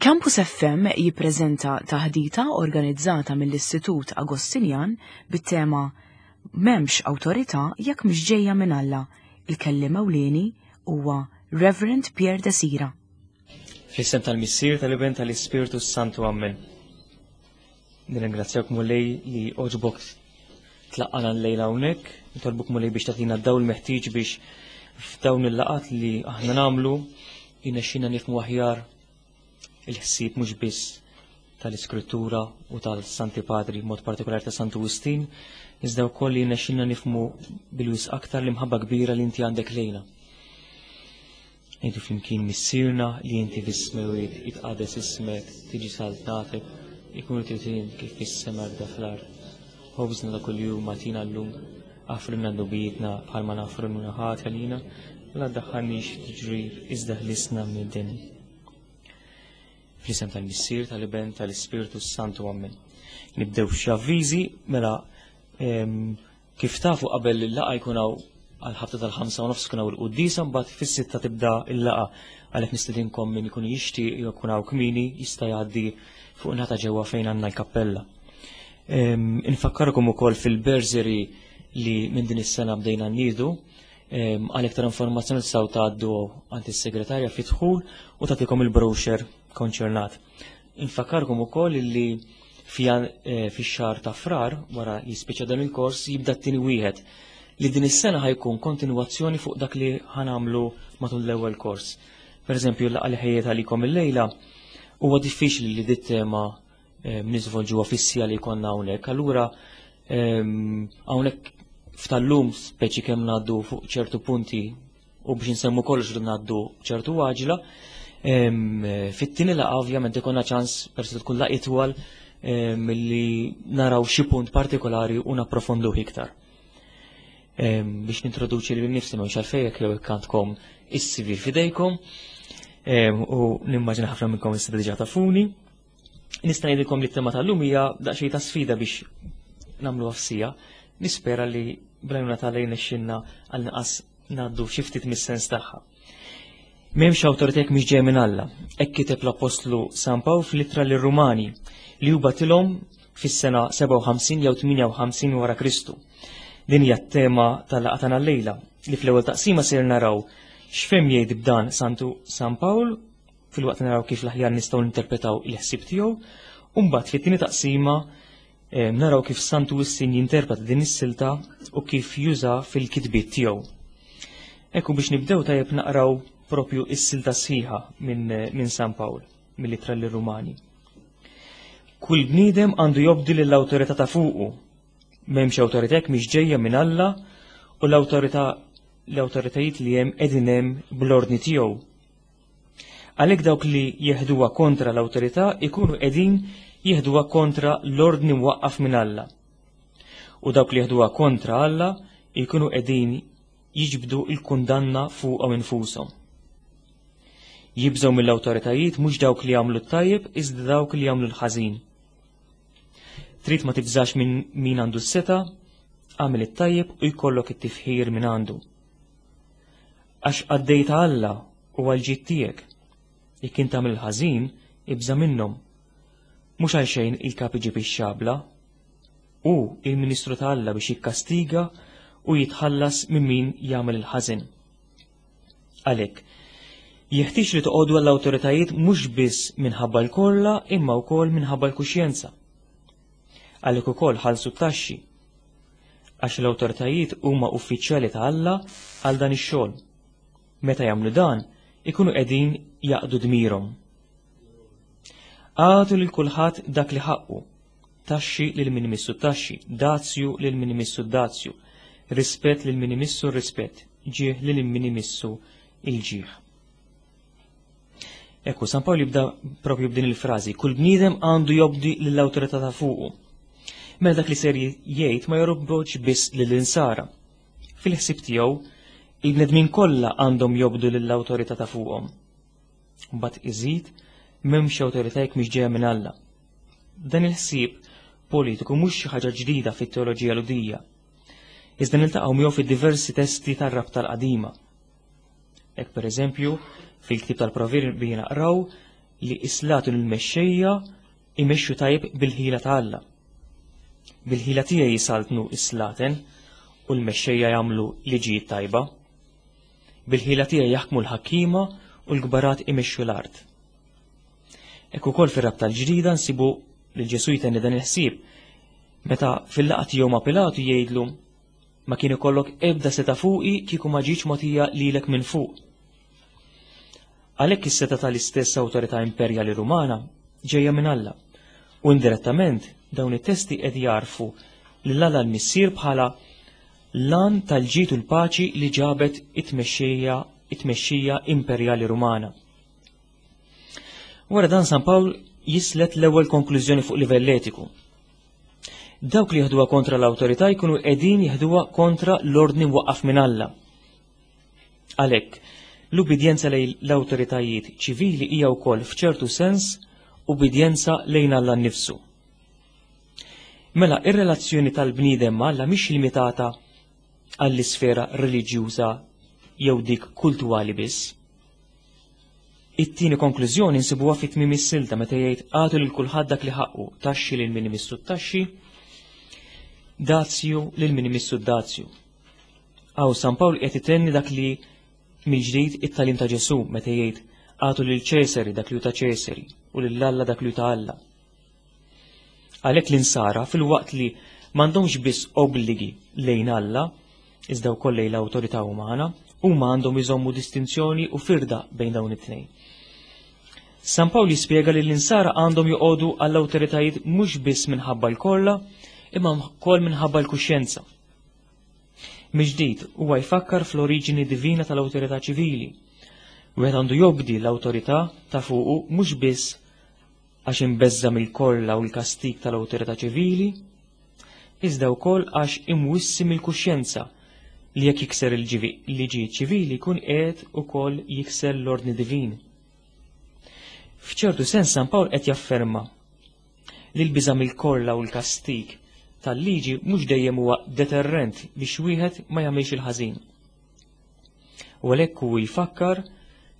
Campus FM jippreżenta taħdita organizzata mill-Istitut Agostinjan bit-tema M'hemmx awtorità jekk mhix ġejja minn Alla. Il-kelliem ewlieni huwa Reverend Pierre Desira. Fl-isem tal-Missier, tal-Iben, tal-Ispirtu Santu Ammen. Nirringrazzjak Mulej li oġbok tlaqqana l-lejla hawnhekk, nitolbuk Mulej biex tagħtina d-dawl meħtieġ biex f'dawn il-laqat li aħna nagħmlu jinexxina nifhmu aħjar il-ħsieb mhux biss tal-Iskrittura u tal-Santi Padri, mod partikolari ta' Santu Wistin, iżda wkoll li jinexxina nifhmu bil-wis aktar l-imħabba kbira li inti għandek lejna. Ngħidu flimkien Missierna li inti fis-smewwiet, jitqades ismek, tiġi saltnatek, ikun trid kif fis-sema hekk fl-art. Ħobżna ta' kuljum agħtina llum, aħfrilna dnubietna bħalma naħfru lil ħadd għalina, u la ddaħħalniex f'tiġrib iżda ħlisna mid-deni. Fl-isem tal-Missier, tal-Iben, tal-Ispirtu s-Santu Ammen. Nibdew xi avviżi mela Kif tafu qabel il-laqgħa jkun hawn għall-ħabta tal-5 u nofs tkun hawn il-quddiesa mbagħad fis-sitta tibda l-laqgħa għalhekk nistedinkom min ikun jixtieq jew ikun hawn kmieni jista' jgħaddi fuq naħa ta' ġewwa fejn għandna l-kappella. Infakkarkom ukoll fil-berżeri li minn din is-sena bdejna nniedu għal iktar informazzjoni tistgħu tgħaddu għand is-segretarja fid-dħul u tagħtikom il-brochure konċernat. Infakkarkom ukoll li eh, fix-xahar ta' Frar wara li jispiċċa dan il-kors jibda t-tieni wieħed li din is-sena ħajkun kontinwazzjoni fuq dak li ħanamlu matul l-ewwel kors. Per eżempju, l-laqgħa li ħejjet għalikom illejla huwa diffiċli li dit tema eh, niżvolġuha fis-sija li jkollna hawnhekk. Allura ehm, hawnhekk f'tal-lum speċi kemm ngħaddu fuq ċertu punti u biex nsemmu kollox rridu ngħaddu ċertu għaġla. Fit-tieni laqgħa ovvjament ikonna ċans persi tkun laqgħa itwal milli naraw xi punt partikolari u napprofonduh iktar. Biex nintroduċi lil nifsi ma għalfejn jekk jew għandkom is-CV f'idejkom u nimmaġina ħafna minnkom issa diġà tafuni. Nista' ngħidilkom li t-tema tal-lum hija daqsxejn ta' sfida biex nagħmlu f'sija. Nispera li bl-għajnuna tal-lejn xinna għal nqas ngħaddu xi ftit mis-sens tagħha. M'hemmx awtorità jekk mhix ġejja minn Alla. Hekk kiteb l-Appostlu San Pawl fl-ittra lir-Rumani li hu batilhom fis-sena 57 jew 58 wara Kristu. Din hija t-tema tal-laqgħa tagħna llejla li fl-ewwel taqsima ser naraw x'fhem jgħid b'dan Santu San Pawl filwaqt naraw kif l-aħjar nistgħu ninterpretaw il-ħsieb tiegħu, u mbagħad fit-tieni taqsima eh, naraw kif Santu Wistin jinterpreta din is-silta u kif juża fil-kitbiet tiegħu. Ekku biex nibdew tajjeb naqraw propju is-silta sħiħa minn min San Pawl, mill-ittra lir-Rumani. Kull bniedem għandu jobdi lill-awtorità ta' fuqu. M'hemmx awtorità jekk mhix ġejja minn Alla u l-awtorità l-awtoritajiet li hemm qegħdin hemm bl-ordni tiegħu. Għalhekk dawk li jeħduha kontra l-awtorità jkunu qegħdin jeħduha kontra l-ordni mwaqqaf minn Alla. U dawk li jeħduha kontra Alla jkunu qegħdin jiġbdu l-kundanna fuqhom infushom. Jibżgħu mill-awtoritajiet mhux dawk li jagħmlu t-tajjeb iżda dawk li jagħmlu l-ħażin. Trid ma tibżax minn min għandu s-seta, għamel it-tajjeb u jkollok it-tifħir minn għandu. Għax qaddej ta' Alla u għall-ġid tiegħek. Jekk int tagħmel il-ħażin, ibża' minnhom. Mhux għal xejn il-kap iġib ix-xabla. Hu il-ministru ta' Alla biex jikkastiga u jitħallas minn min jagħmel il-ħażin. Għalhekk, jeħtieġ li toqogħdu għall-awtoritajiet mhux biss minħabba l-korla imma wkoll minħabba l-kuxjenza. Għalhekk ukoll ħallsu t-taxxi għax l-awtoritajiet huma uffiċjali ta' Alla għal dan ix-xogħol. Meta jagħmlu dan, ikunu qegħdin jaqdu dmirhom. Agħtu lil kulħadd dak li ħaqqu, taxxi lil min imissu taxxi, dazju lil min imissu dazju, rispett lil min imissu rispett, ġieħ lil min imissu il-ġieħ. Ekku, San Pawl jibda propju b'din il-frażi, kull bniedem għandu jobdi lill-awtorità ta' fuqu. Mela dak li ser jgħid ma jorobboċ biss lill-insara. Fil-ħsieb tiegħu, il-bnedmin kollha għandhom jobdu lill-awtorità ta' fuqhom. Mbagħad iżid m'hemmx awtorità jekk mhix ġejja minn Alla. Dan il-ħsieb politiku mhux xi ħaġa ġdida fit-teoloġija Lhudija. Iżda niltaqgħu miegħu fid-diversi testi tar-rabta l-qadima. Hekk pereżempju, fil-ktieb tal-Proverbi naqraw li islatu l-mexxejja imexxu tajjeb bil-ħila ta' Alla. Bil-ħila tiegħi jisaltnu is-slaten u l-mexxejja jagħmlu liġijiet tajba. Bil-ħila tiegħi jaħkmu l-ħakkiema u l-kbarat imexxu l-art. Hekk ukoll fir-rabta l-ġdida nsibu lil Ġesù jtenni dan il-ħsieb meta fil-laqgħa tiegħu ma' Pilatu jgħidlu ma kien ikollok ebda seta' fuqi kieku ma ġietx mogħtija lilek minn fuq. Għalhekk is-setgħa tal-istess awtorità imperjali Rumana ġejja minn Alla u indirettament dawn it-testi qed jagħrfu lil Alla l-Missier bħala l-għan tal-ġid u l-paċi li ġabet it-tmexxija it-tmexxija imperjali Rumana. Wara dan San Pawl jislet l-ewwel konklużjoni fuq livell etiku. Dawk li jieħduha kontra l-awtorità jkunu qegħdin jieħduha kontra l-ordni mwaqqaf minn Alla. Għalhekk, l-ubbidjenza lejn l-awtoritajiet ċivili hija wkoll f'ċertu sens ubbidjenza lejn Alla nnifsu. Mela, ir-relazzjoni tal-bniedem ma' Alla mhix limitata għall-isfera reliġjuża jew dik kultwali biss. It-tieni konklużjoni nsibuha fi tmiem is-silta meta jgħid agħtu lil kulħadd dak li ħaqqu, taxxi lil min imissu t-taxxi, dazju lil min imissu d-dazju. Hawn San Pawl qed itenni dak li mill-ġdid it-tagħlim ta' Ġesù meta jgħid agħtu lil Ċesari dak li hu ta' Ċesari u lil Alla dak li hu ta' Alla. Għalhekk l-insara filwaqt li m'għandhomx biss obbligi lejn Alla, iżda wkoll lejn l-awtorità umana, huma għandhom iżommu distinzjoni u firda bejn dawn it-tnejn. San Pawl jispjega li l-insara għandhom joqogħdu għall-awtoritajiet mhux biss minħabba l-korla, imma wkoll minħabba l-kuxjenza. Mill-ġdid, huwa jfakkar fl-oriġini divina tal-awtorità ċivili. Wieħed għandu jobdi l-awtorità ta' fuqu mhux biss għax imbeżża' mill-korla u l-kastig tal-awtorità ċivili, iżda wkoll għax imwissi mill-kuxjenza li jekk jikser il-liġijiet ċivili jkun qiegħed ukoll jikser l-ordni divin. F'ċertu sens San Pawl qed jafferma li l-biża' mill-korla u l-kastig tal-liġi mhux dejjem huwa deterrent biex wieħed ma jagħmilx il-ħażin. U għalhekk hu jfakkar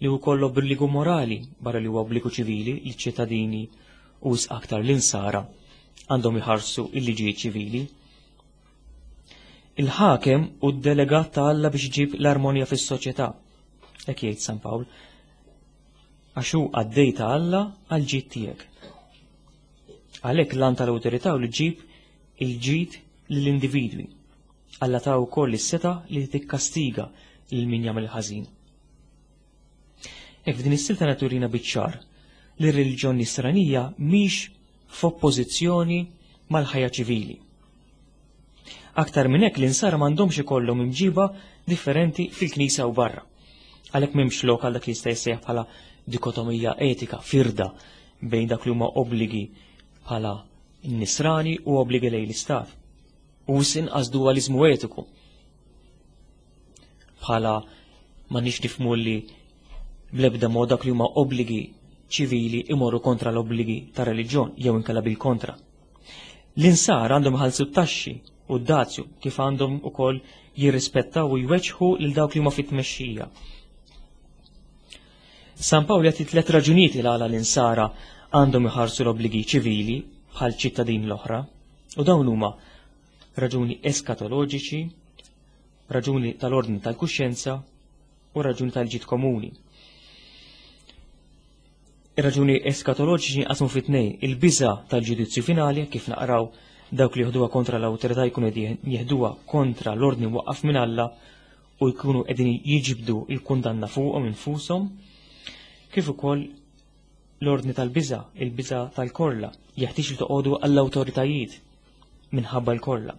li wkoll obbligu morali barra li huwa obbligu ċivili li ċ-ċittadini u wisq aktar l-insara għandhom iħarsu il-liġijiet ċivili. Il-ħakem u d-delegat ta' Alla biex iġib l-armonja fis-soċjetà. Hekk jgħid San Pawl. Għax hu qaddej ta' Alla għal ġid tiegħek. Għalhekk l-għan tal-awtorità u li ġib il-ġid lill-individwi. Alla ta wkoll is-setgħa li tikkastiga lil min jagħmel ħażin. Hekk f'din is-silta naturina biċ-ċar li r-reliġjon nisranija mhix f'oppożizzjoni mal-ħajja ċivili. Aktar minn hekk l-insara m'għandhomx ikollhom imġiba differenti fil-knisja u barra. Għalhekk m'hemmx lok għal dak li jista' jissejjaħ bħala dikotomija etika, firda bejn dak li huma obbligi bħala nisrani u obbligi lejn l-istat. U inqas dualizmu etiku. Bħala ma nix nifmu li bl-ebda mod dak li huma obbligi ċivili imorru kontra l-obbligi ta' reliġjon jew inkella bil-kontra. L-insara għandhom iħallsu t-taxxi u d-dazju kif għandhom ukoll jirrispettaw u jweġħu lil dawk li huma fit-tmexxija. San Pawl jagħti tliet raġunijiet il għala l-insara għandhom iħarsu l-obbligi ċivili bħal ċittadin l-oħra. U dawn huma raġuni eskatoloġiċi, raġuni tal-ordni tal-kuxjenza u raġuni tal-ġid komuni. Ir-raġuni eskatoloġiċi jinqasmu fi tnejn, il-biża' tal-ġudizzju finali, kif naqraw dawk li jieħduha kontra l-awtorità jkunu qegħdin jieħduha kontra l-ordni mwaqqaf minn Alla u jkunu qegħdin jiġbdu l-kundanna fuqhom infushom, kif ukoll l-ordni tal-biża', il-biża' tal-korla, jeħtieġ li toqogħdu għall-awtoritajiet minħabba l-korla.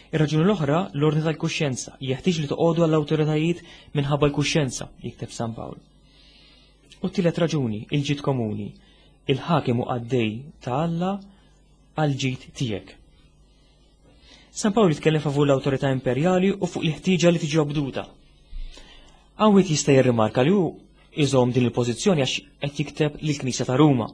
Ir-raġuni l-oħra, l-ordni tal-kuxjenza, jeħtieġ li toqogħdu għall-awtoritajiet minħabba l-kuxjenza, jikteb San Pawl. U t-tielet raġuni, il-ġid komuni, il-ħakem u qaddej ta' Alla għal ġid tiegħek. San Pawl jitkellem favur l-awtorità imperjali u fuq il-ħtieġa li tiġi obduta. Hawn jista' jirrimarka li hu iżomm din il-pożizzjoni għax qed jikteb lill-Knisja ta' Ruma.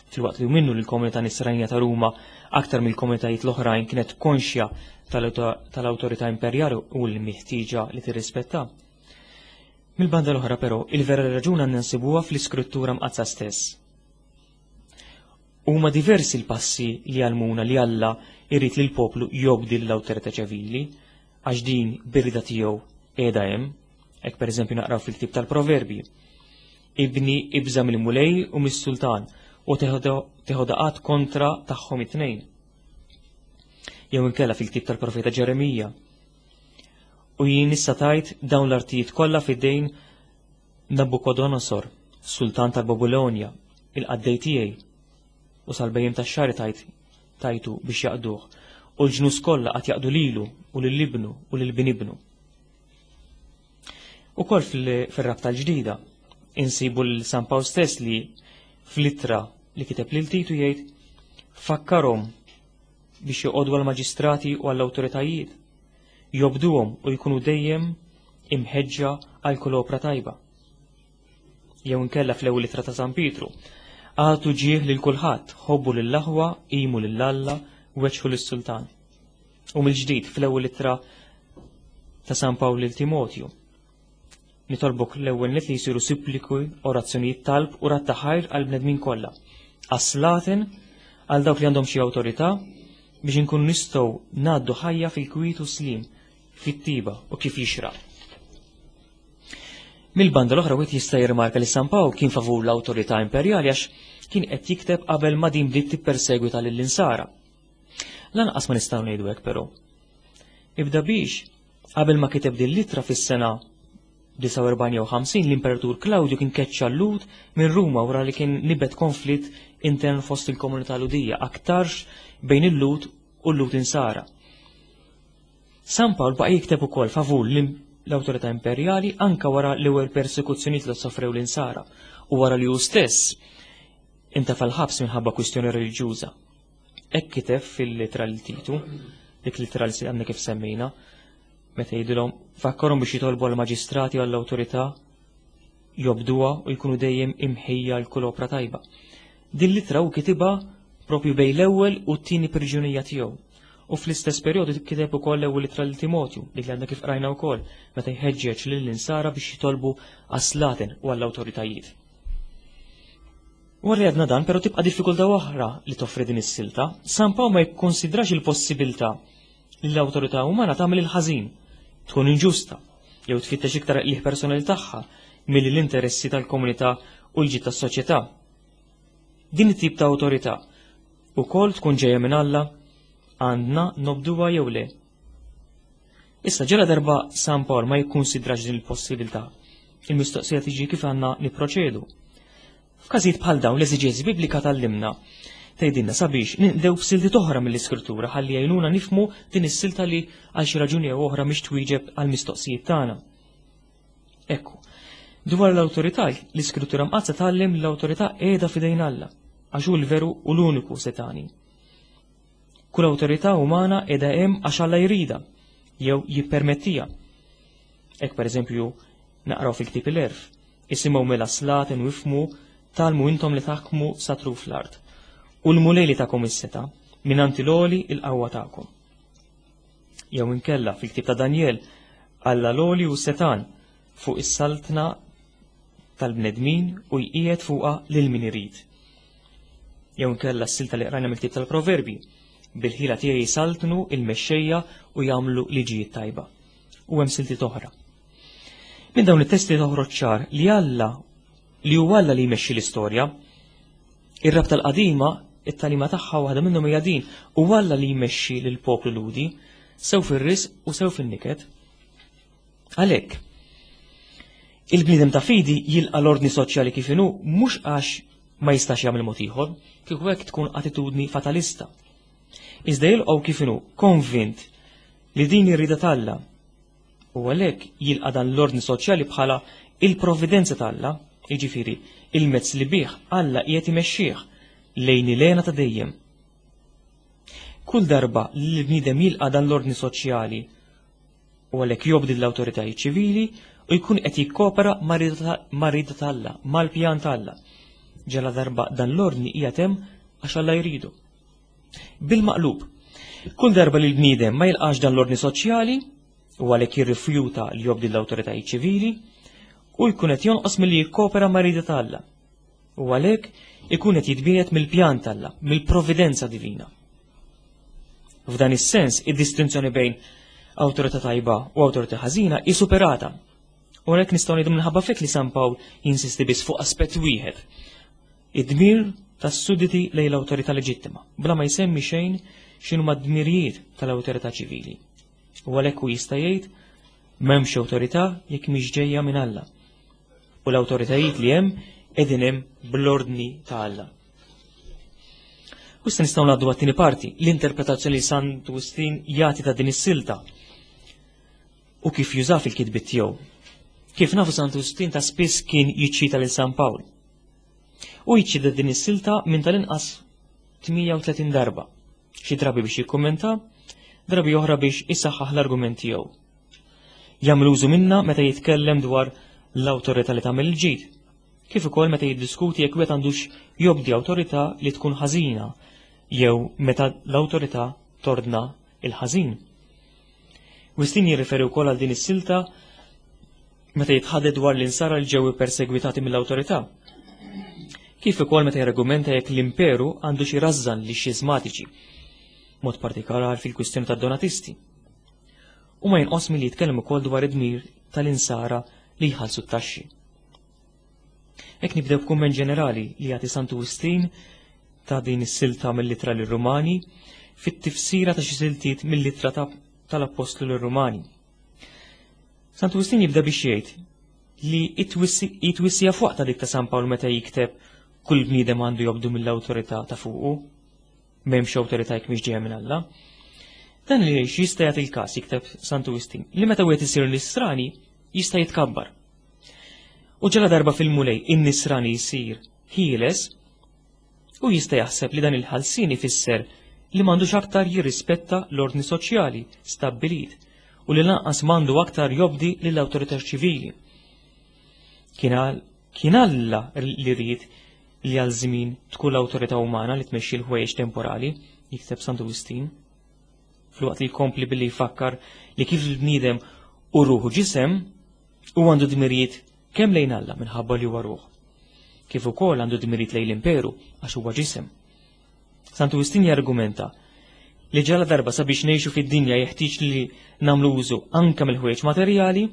Filwaqt li minnu li l-komunità nisranija ta' Ruma aktar mill-komunitajiet l-oħrajn kienet konxja tal-awtorità imperjali u l-miħtieġa li tirrispetta. Mill-banda l-oħra però, il-vera raġuna għandna nsibuha fl-Iskrittura Mqaddsa stess. Huma diversi l-passi li jgħallmuna li Alla jrid li l-poplu jobdi l-awtorità ċivili, għax din bir-rida tiegħu qiegħda hemm. Hekk pereżempju naqraw fil-ktieb tal-Proverbji. Ibni ibża' mill-Mulej u mis-sultan u teħodha qatt kontra tagħhom it-tnejn. Jew inkella fil-ktieb tal-profeta Ġeremija. U jien issa tajt dawn l-artijiet kollha f'idejn Nabukodonosor, sultan tal-Babilonja, il-qaddej tiegħi, u sal-bejjem tax-xahar tajt tajtu biex jaqduh, u l-ġnus kollha qatt jaqdu lilu u lil ibnu u lil bin ibnu. Ukoll fir-rabta l-ġdida insibu lil San Pawl stess li fl-ittra li kiteb lil Titu jgħid fakkarhom biex joqogħdu għall-maġistrati u għall-awtoritajiet, jobduhom u jkunu dejjem imħeġġa għal kull opra tajba. Jew inkella fl-ewwel ittra ta' San Pietru, għatu ġieħ lil kulħadd, ħobbu lill-aħwa, qimu lil Alla, weġħu lis-sultan. U mill-ġdid fl-ewwel ittra ta' San Pawl lil Timotju. Nitolbok l-ewwel nett li jsiru suppliku, orazzjonijiet talb u radd ta' ħajr għall-bnedmin kollha. Għas-slaten, għal dawk li għandhom xi awtorità, biex inkunu nistgħu ngħaddu ħajja fil-kwiet u slim, fit-tiba u kif jixraq. Mill-banda l-oħra wieħed jista' jirrimarka li San Pawl kien favur l-awtorità imperjali għax kien qed jikteb qabel ma din bdiet tippersegwita lill-insara. Lanqas ma nistgħu ngħidu hekk però. Ibda biex, qabel ma kiteb din l-ittra fis-sena 49 jew 50 l-Imperatur Klawdju kien keċċa l-Lhud minn Ruma wara li kien nibet konflitt intern fost il-komunità Lhudija aktarx bejn il-Lhud u l-Lhud insara. San Pawl baqa' jikteb ukoll favur l-awtorità imperjali anka wara l-ewwel persekuzzjonijiet li sofrew l-insara u wara li hu stess intefa' l-ħabs minħabba kwistjoni reliġjuża. Hekk kiteb fil-litra lil Titu, dik litra li għandna kif semmejna, meta jgħidilhom fakkarhom biex jitolbu għall-maġistrati u għall-awtorità jobduha u jkunu dejjem imħejja għal kull opra tajba. Din litra hu kitibha propju bejn l-ewwel u t-tieni priġunija tiegħu. U fl-istess perjodu kiteb ukoll l-ewwel ittra lil Timotju, dik li għandna kif qrajna wkoll, meta jħeġġeġ lill-insara biex jitolbu għas-slaten u għall-awtoritajiet. Wara li għedna dan, però tibqa' diffikultà oħra li toffri din is-silta. San Pawl ma jikkonsidrax il-possibilità li l-awtorità umana tagħmel il-ħażin, tkun inġusta, jew tfittex iktar qligħ personali tagħha milli l-interessi tal-komunità u l-ġid tas-soċjetà. Din it-tip ta' awtorità ukoll tkun ġejja minn Alla għandna nobduha jew le. Issa ġela darba San Pawl ma jikkunsidrax din il-possibilità. Il-mistoqsija tiġi kif għandna nipproċedu. F'każijiet bħal dawn l-eżiġeżi biblika tgħallimna tgħidilna sabiex ninqdew b'siltiet oħra mill-Iskrittura ħalli jgħinuna nifhmu din is-silta li għal xi raġuni jew oħra mhix twieġeb għall-mistoqsijiet tagħna. Ekku, dwar l-awtorità, l-Iskrittura Mqaddsa tgħallem li l-awtorità qiegħda f'idejn Alla, għax hu l-veru u l-uniku setani. Kull awtorità umana qiegħda hemm għax Alla jridha jew jippermettiha. Hekk pereżempju naqraw fil-ktieb il-Għerf, Isimgħu mela slaten u ifhmu, tgħallmu intom li taħkmu sa truf l-art. U l-Mulej li takom is-setgħa, mingħand il-Għoli il-qawwa tagħkom. Jew inkella fil-ktieb ta' Danjel, Alla l-Għoli hu setgħan fuq is-saltna tal-bnedmin u jqiegħed fuqha lil min irid. Jew inkella s-silta li qrajna mill-ktieb tal-Proverbi, bil-ħila tiegħi jsaltnu il-mexxejja u jagħmlu liġijiet tajba. U hemm siltiet oħra. Minn dawn it-testi toħroġ ċar li Alla li huwa Alla li jmexxi l-istorja. Ir-rabta l-qadima, it-tagħlima tagħha waħda minnhom hija din, huwa Alla li jmexxi lil poplu Lhudi, sew fir-risq u sew fin-niket. Għalhekk, il-bniedem ta' fidi jilqa' l-ordni soċjali kif inhu mhux għax ma jistax jagħmel mod ieħor, kieku hekk tkun attitudni fatalista. Iżda jilqgħu kif inhu konvint li din ir-rieda t'Alla U għalhekk jilqa' dan l-ordni soċjali bħala il-provvidenza t'Alla, jiġifieri il-mezz li bih Alla qiegħed imexxih lejn il-hena ta' dejjem. Kull darba li l-bniedem jilqa' dan l-ordni soċjali u għalhekk jobdi l-awtoritajiet ċivili u jkun qed jikkopera mar-rieda t'Alla, mal-pjan t'Alla. Ġala darba dan l-ordni qiegħed hemm għax Alla jridu. Bil-maqlub, kull darba li l-bniedem ma jilqax dan l-ordni soċjali u għalhekk jirrifjuta li jobdi l-awtoritajiet ċivili, hu jkun qed jonqos milli jikkopera mar-rieda ta' Alla. U għalhekk ikun qed jitbiegħed mill-pjan t'Alla, mill-providenza divina. F'dan is-sens, id-distinzjoni bejn awtorità tajba u awtorità ħażina hi superata. U għalhekk nistgħu ngħidu minħabba fik li San Pawl jinsisti biss fuq aspett wieħed. Id-dmir tas-sudditi lejn l-awtorità leġittima, bla ma jsemmi xejn x'inhuma d-dmirijiet tal-awtorità ċivili. U għalhekk hu jista' jgħid m'hemmx awtorità jekk mhix ġejja minn Alla. U l-awtoritajiet li hemm qegħdin hemm bl-ordni ta' Alla. U issa nistgħu ngħaddu għat-tieni parti, l-interpretazzjoni li Sant Wistin jagħti ta' din is-silta u kif juża fil-kitbiet tiegħu. Kif nafu Sant Wistin ta' spiss kien jiċċita lil San Pawl. U jiċċita din is-silta minn tal-inqas 38 darba. Xi drabi biex jikkummenta, drabi oħra biex isaħħaħ l-argument tiegħu. Jagħmel użu minna meta jitkellem dwar l-awtorità li tagħmel il-ġid, kif ukoll meta jiddiskuti jekk wieħed għandux jobdi awtorità li tkun ħażina jew meta l-awtorità tordna il-ħażin. Wistin jirriferi wkoll għal din is-silta meta jitħadded dwar l-insara li ġew ippersegwitati mill-awtorità. Kif ukoll meta jargumenta jekk l-imperu għandu xi rażżan li xiżmatiċi, mod partikolari fil-kwistjoni tad-donatisti. U ma jinqos milli jitkellem ukoll dwar id-dmir tal-insara li jħallsu t-taxxi. Hekk nibdew b'kumment ġenerali li jagħti Santu Wistin ta' din is-silta mill-ittra lir-Rumani fit-tifsira ta' xi siltiet mill-ittra tal-Appostlu lir-Rumani. Santu Wistin jibda biex jgħid li it-twissija fuq ta' dik ta' San Pawl meta jikteb kull bniedem għandu jobdu mill-awtorità ta' fuqu, m'hemmx awtorità jekk mhix ġejja minn Alla. Dan li jista' jagħti l-każ jikteb Santu Wistin li meta wieħed isir nisrani jista' jitkabbar. U ġala darba fil-Mulej in-nisrani jsir ħieles, u jista' jaħseb li dan il-ħalsien ifisser li m'għandux aktar jirrispetta l-ordni soċjali stabbilit u li lanqas m'għandu aktar jobdi lill-awtorità ċivili. Kien Alla li ried li għal żmien tkun l-awtorità umana li tmexxi l-ħwejjeġ temporali, jikteb Santu Wistin. Filwaqt li jkompli billi jfakkar li kif il-bniedem u ruħu ġisem u għandu dmirijiet kemm lejn Alla minħabba li huwa ruħ, kif ukoll għandu dmirijiet lejn l-imperu għax huwa ġisem. Santu Wistin jargumenta li ġala darba sabiex ngħixu fid-dinja jeħtieġ li nagħmlu użu anke mill-ħwejjeġ materjali,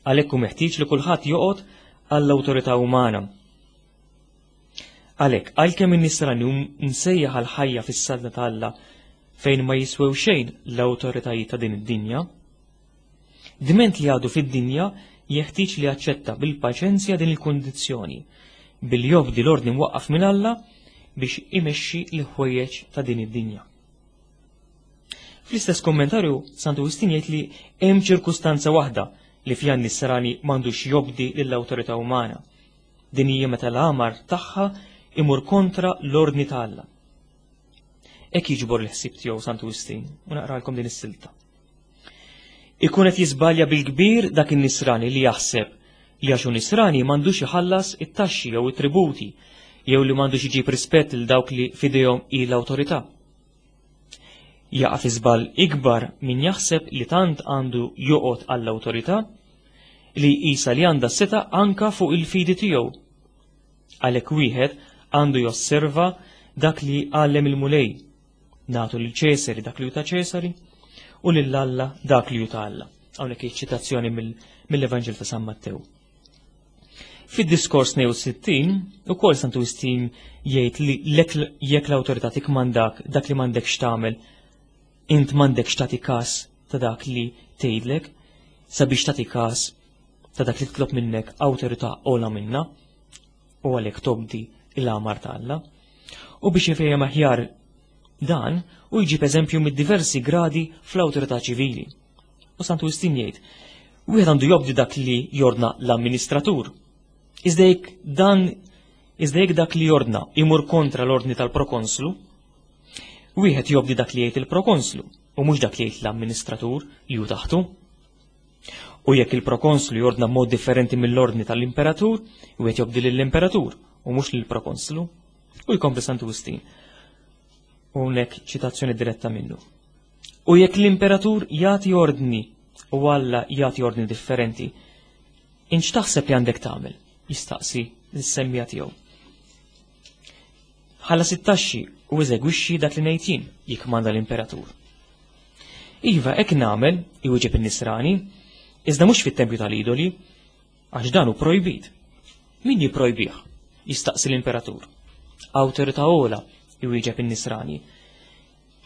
għalhekk hu meħtieġ li kulħadd joqgħod għall-awtorità umana. Għalhekk, għalkemm in-nisrani hu msejjaħ għal ħajja fis-saltna ta' Alla fejn ma jiswew xejn l-awtoritajiet ta' din id-dinja, diment li għadu fid-dinja jeħtieġ li jaċċetta bil-paċenzja din il-kundizzjoni, billi jobdi l-ordni mwaqqaf minn Alla biex imexxi l-ħwejjeġ ta' din id-dinja. Fl-istess kommentarju, Santu Wistin jgħid li hemm ċirkustanza waħda li fiha n-nisrani m'għandux jobdi lill-awtorità umana. Din hija meta l-għamar tagħha imur kontra l-ordni ta' Alla. Hekk jiġbor l-ħsieb tiegħu Santu Wistin u naqralkom din is-silta. Ikun qed jiżbalja bil-kbir dak in-nisrani li jaħseb li għax hu nisrani m'għandux iħallas it-taxxi jew it-tributi jew li m'għandux iġib rispett lil dawk li f'idejhom hi l-awtorità. Jaqa' fi żball ikbar min jaħseb li tant għandu joqgħod għall-awtorità li jqisha li għandha s-setgħa anka fuq il-fidi tiegħu. Għalhekk wieħed għandu josserva dak li għallem il-Mulej, nagħtu lil Ċesari dak li hu ta' Ċesari u lil Alla dak li hu ta' Alla. Hawnhekk hi ċitazzjoni mill-Evanġel ta' San Mattew. Fid-diskors 62, ukoll Santu Wistin jgħid li jekk l-awtorità tikmandak dak li m'għandekx tagħmel, int m'għandekx tagħti każ ta' dak li tgħidlek, sabiex tagħti każ ta' dak li titlob minnek awtorità ogħla minna, u għalhekk tobdi l-amar ta' Alla. U biex jifhem aħjar dan, u jġib eżempju mid-diversi gradi fl-awtorità ċivili. U Santu Wistin jgħid, wieħed għandu jobdi dak li jordna l-amministratur. Iżda jekk dan iżda jekk dak li jordna imur kontra l-ordni tal-prokonslu, wieħed jobdi dak li jgħid il-prokonslu u mhux dak li jgħid l-amministratur li hu taħtu. U jekk il-prokonslu jordna mod differenti mill-ordni tal-imperatur, wieħed jobdi lill-imperatur u mhux lill-prokonslu. U jkompli Santu Wistin. U hawnhekk ċitazzjoni diretta minnu. U jekk l-imperatur jagħti ordni u Alla jagħti ordni differenti, Int x'taħseb li għandek tagħmel? jistaqsi lis-semmiegħa tiegħu. Ħallas it-taxxi u eżegwixxi dak li ngħid jien, jikkmanda l-imperatur. Iva, hekk nagħmel, iwieġeb in-nisrani, iżda mhux fit-tempju tal-idoli, għax dan hu projbit. Min jipprojbih? jistaqsi l-imperatur. Awtorità ogħla, iwieġeb in-nisrani.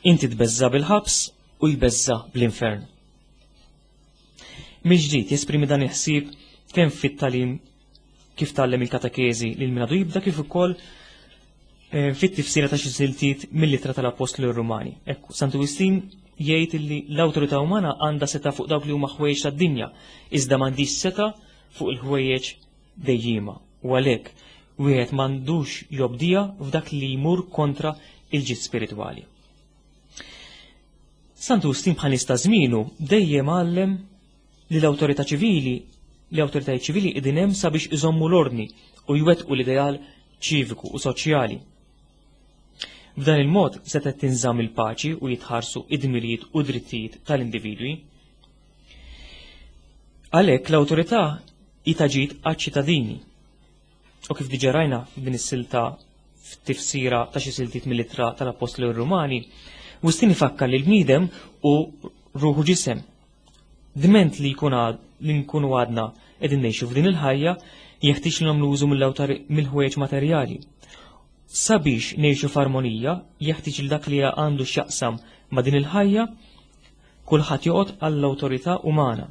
Inti tbeżża' bil-ħabs u jbeżża' bl-infern. Mill-ġdid jesprimi dan il-ħsieb kemm fit-tagħlim kif tgħallem il-katekeżi lil min għadu jibda kif ukoll eh, fit-tifsira ta' xi siltiet mill-ittra tal-Appostli Rumani. Ekku, Santu Wistin jgħid li l-awtorità umana għandha seta' fuq dawk li huma ħwejjeġ tad-dinja, iżda m'għandix seta' fuq il-ħwejjeġ dejjiema. U għalhekk wieħed m'għandux jobdija f'dak li jmur kontra il-ġid spiritwali. Santu Wistin bħal nies ta' żmienu dejjem għallem li l-awtorità ċivili li awtoritajiet ċivili qegħdin hemm sabiex iżommu l-ordni u jwettqu l-ideal ċiviku u soċjali. B'dan il-mod setgħet tinżamm il-paċi u jitħarsu id-dmirijiet u drittijiet tal-individwi. Għalhekk l-awtorità hi ta' ġid għaċ-ċittadini. U kif diġà rajna f'din is-silta f'tifsira ta' xi siltiet mill-ittra tal-Appostli Rumani, Wistin ifakkar li l-bniedem u ruħu ġisem. Dment li jkun li nkunu għadna qegħdin ngħixu f'din il-ħajja, jeħtieġ li nagħmlu użu mill-ħwejjeġ materjali. Sabiex ngħixu f'armonija, jeħtieġ li dak li għandu x'jaqsam ma' din il-ħajja, kulħadd joqgħod għall-awtorità umana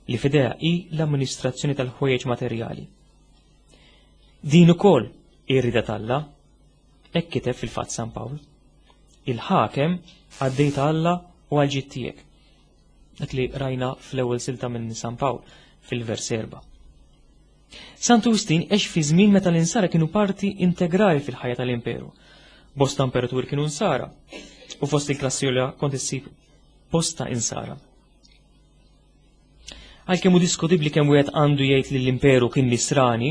li f'idejha hi l-amministrazzjoni tal-ħwejjeġ materjali. Din ukoll hi r-rieda t'Alla, hekk kiteb fil-fatt San Pawl. Il-ħakem għaddej ta' Alla u għal ġid tiegħek. Dak li rajna fl-ewwel silta minn San Pawl fil-vers erba'. Santu Wistin għex fi żmien meta l-insara kienu parti integrali fil-ħajja tal-imperu. Bosta imperaturi kienu insara u fost il-klassi kont issib bosta insara. Għalkemm hu diskutibbli kemm wieħed għandu jgħid li l-imperu kien nisrani,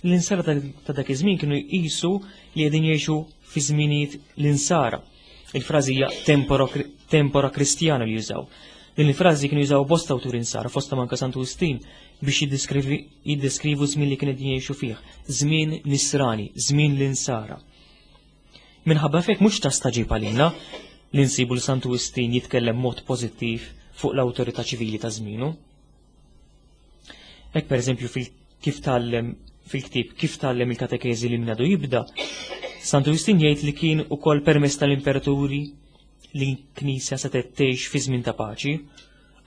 l-insara ta' dak iż-żmien kienu jqisu li qegħdin jgħixu fi żminijiet l-insara. Il-frażi hija tempora, tempora kristjana li jużaw. Din il-frażi kienu jużaw bosta awturi insara, fosta manka Santu Wistin, biex jiddeskrivu żmien li kien qegħdin jgħixu fih, żmien nisrani, żmien l-insara. Minħabba f'hekk mhux ta' staġib għalina li nsibu li Santu Wistin jitkellem mod pożittiv fuq l-awtorità ċivili ta' żmienu. Hekk pereżempju kif tgħallem fil-ktieb Kif tgħallem il-katekeżi li minadu jibda, Santu Wistin jgħid li kien ukoll permess tal-imperaturi li l-Knisja setgħet tgħix fi żmien ta' paċi,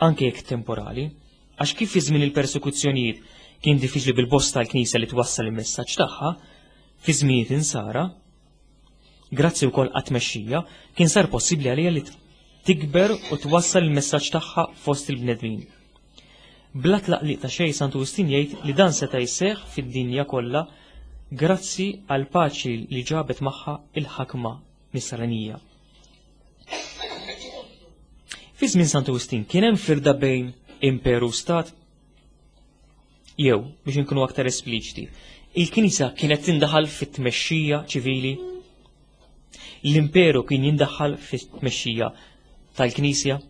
anke jekk temporali, għax kif fi żmien il-persekuzzjonijiet kien diffiċli bil-bosta l-Knisja li twassal il-messaġġ tagħha, Fi żminijiet insara, grazzi wkoll għat-tmexxija, kien sar possibbli għaliha li tikber u twassal il-messaġġ tagħha fost il-bnedmin. Bla tlaqliq ta' xejn Santu Wistin jgħid li dan seta' jseħħ fid-dinja kollha grazzi għal paċi li ġabet magħha il-ħakma nisranija. Fi żmien Santu Wistin kien hemm firda bejn imperu u stat? Jew, biex inkunu aktar espliċiti, il-Knisja kienet tindaħal fit-tmexxija ċivili? L-imperu kien jindaħal fit-tmexxija tal-Knisja?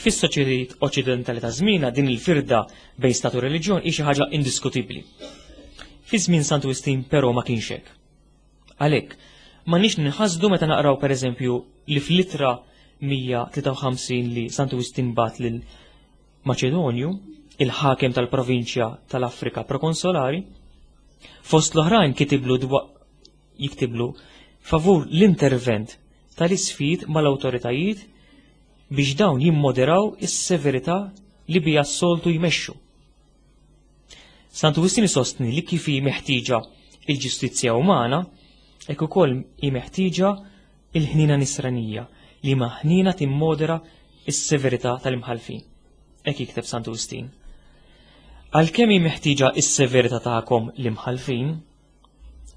Fis-soċjetajiet oċċidentali ta' żmienna din il-firda bejn stat u reliġjon hi xi ħaġa indiskutibbli. Fi żmien Santu Wistin però ma kienx hekk. Għalhekk, m'għandniex ninħasdu meta naqraw pereżempju li fl-ittra 153 li Santu Wistin bat lil Maċedonju, il-ħakem tal-provinċja tal-Afrika prokonsolari, fost l-oħrajn kitiblu jiktiblu favur l-intervent tal-isfid mal-awtoritajiet biex dawn jimmoderaw is-severità li bija s-soltu jmexxu. Santu Wistin isostni li kif hi meħtieġa il-ġustizzja umana, hekk ukoll hi meħtieġa il-ħniena nisranija li ma ħniena timmodera s-severità tal-imħallfin. Hekk jikteb Santu Wistin. Għalkemm hi meħtieġa s-severità tagħkom l-imħallfin,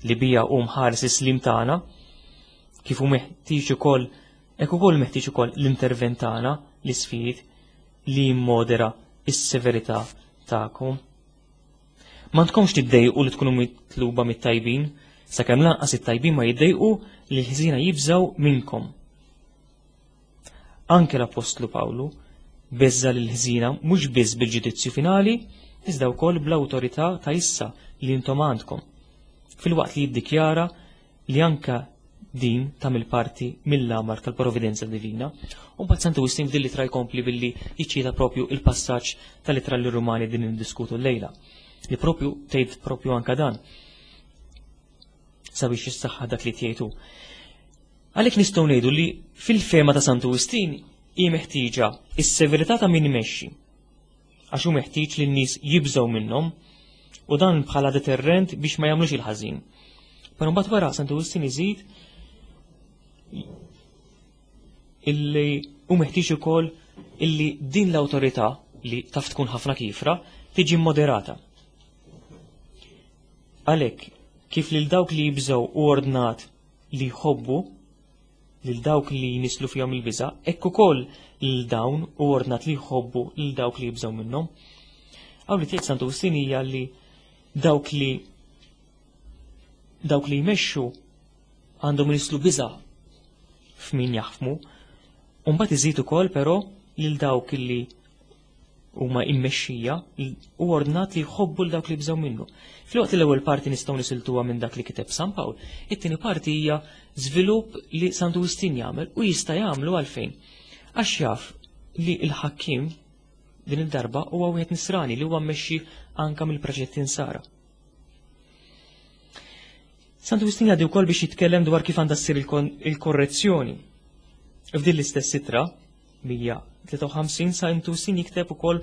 li bija hu mħares is-slim tagħna, kif hu meħtieġ ukoll hekk ukoll meħtieġ ukoll l-intervent tagħna l-isfid li jimmodera s-severità tagħkom. M'għandkomx tiddejqu li tkunu mitluba mit-tajbin, sakemm lanqas it-tajbin ma jiddejqu li l-ħżiena jibżgħu minnkom. Anke l-Appostlu Pawlu Beżża' lill-ħżiena mhux biss bil-ġudizzju finali, iżda wkoll bl-awtorità ta' issa li intom għandkom, filwaqt li jiddikjara li anke din tagħmel parti mill-għamar tal-providenza divina. U mbagħad Santu Wistin f'din l-ittra jkompli billi jiċċita propju il-passaġġ tal-ittra lir-Rumani din niddiskutu llejla, li propju tgħid propju anke dan sabiex jissaħħa dak li tgħidu. Għalhekk nistgħu ngħidu li fil-fehma ta' Santu Wistin hi meħtieġa is-severità ta' min imexxi. Għax hu meħtieġ li n-nies jibżgħu minnhom u dan bħala deterrent biex ma jagħmlux il-ħażin. Però mbagħad wara Santu Wistin iżid illi hu meħtieġ ukoll illi din l-awtorità li taf tkun ħafna kifra tiġi moderata. Għalhekk, kif lil dawk li jibżgħu u ordnat li jħobbu lil dawk li jnisslu fihom il-biża', hekk ukoll lil dawn hu ordnat li jħobbu lil dawk li jibżgħu minnhom. Hawn li tgħid Santu Wistin hija li dawk li dawk li jmexxu għandhom inislu biża' f'min jaħkmu, u mbagħad iżid ukoll però lil dawk li huma immexxija u ordnat li jħobbu l dawk li jibżgħu minnu. Filwaqt li l-ewwel parti nistgħu nisiltuha minn dak li kiteb San Pawl, it-tieni parti hija żvilupp li Santu Wistin jagħmel u jista' jagħmlu għalfejn. Għax jaf li l-ħakkiem din id-darba huwa wieħed nisrani li huwa mmexxi anka mill-preċetti nsara. Santu Wistin jgħaddi wkoll biex jitkellem dwar kif għandha ssir il-korrezzjoni. F'din l-istess itra, 153 sa Intusin jikteb ukoll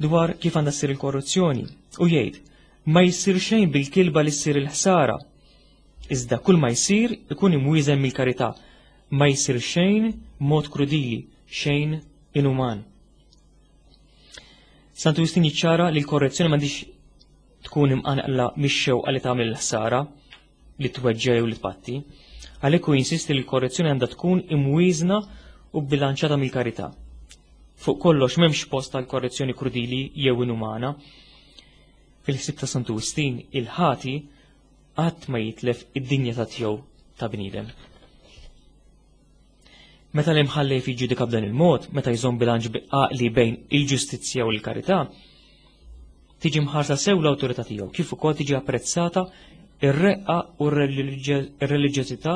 dwar kif għandha ssir il-korruzzjoni u jgħid ma jsir xejn bil-kilba li ssir il-ħsara. Iżda kull ma jsir ikun imwieżen mill-karità, ma jsir xejn mod krudili, xejn inuman. Santu Justin jiċċara li l-korrezzjoni m'għandix tkun imqanqla mix-xewqa li tagħmel il-ħsara, li tweġġa' jew li tpatti. Għalhekk hu jinsisti li l-korrezzjoni għandha tkun imwieżna u bbilanċata mill-karità. Fuq kollox m'hemmx post għal korrezzjoni krudili jew inumana. Fil-ħsieb ta' Santu Wistin, il-ħati qatt ma jitlef id-dinjità tiegħu ta' bniedem. Meta l-imħallef jiġġudika b'dan il-mod, meta jżomm bilanċ għaqli bejn il-ġustizzja u l-karità, tiġi mħarsa sew l-awtorità tiegħu, kif ukoll tiġi apprezzata ir-reqqa u r-reliġjożità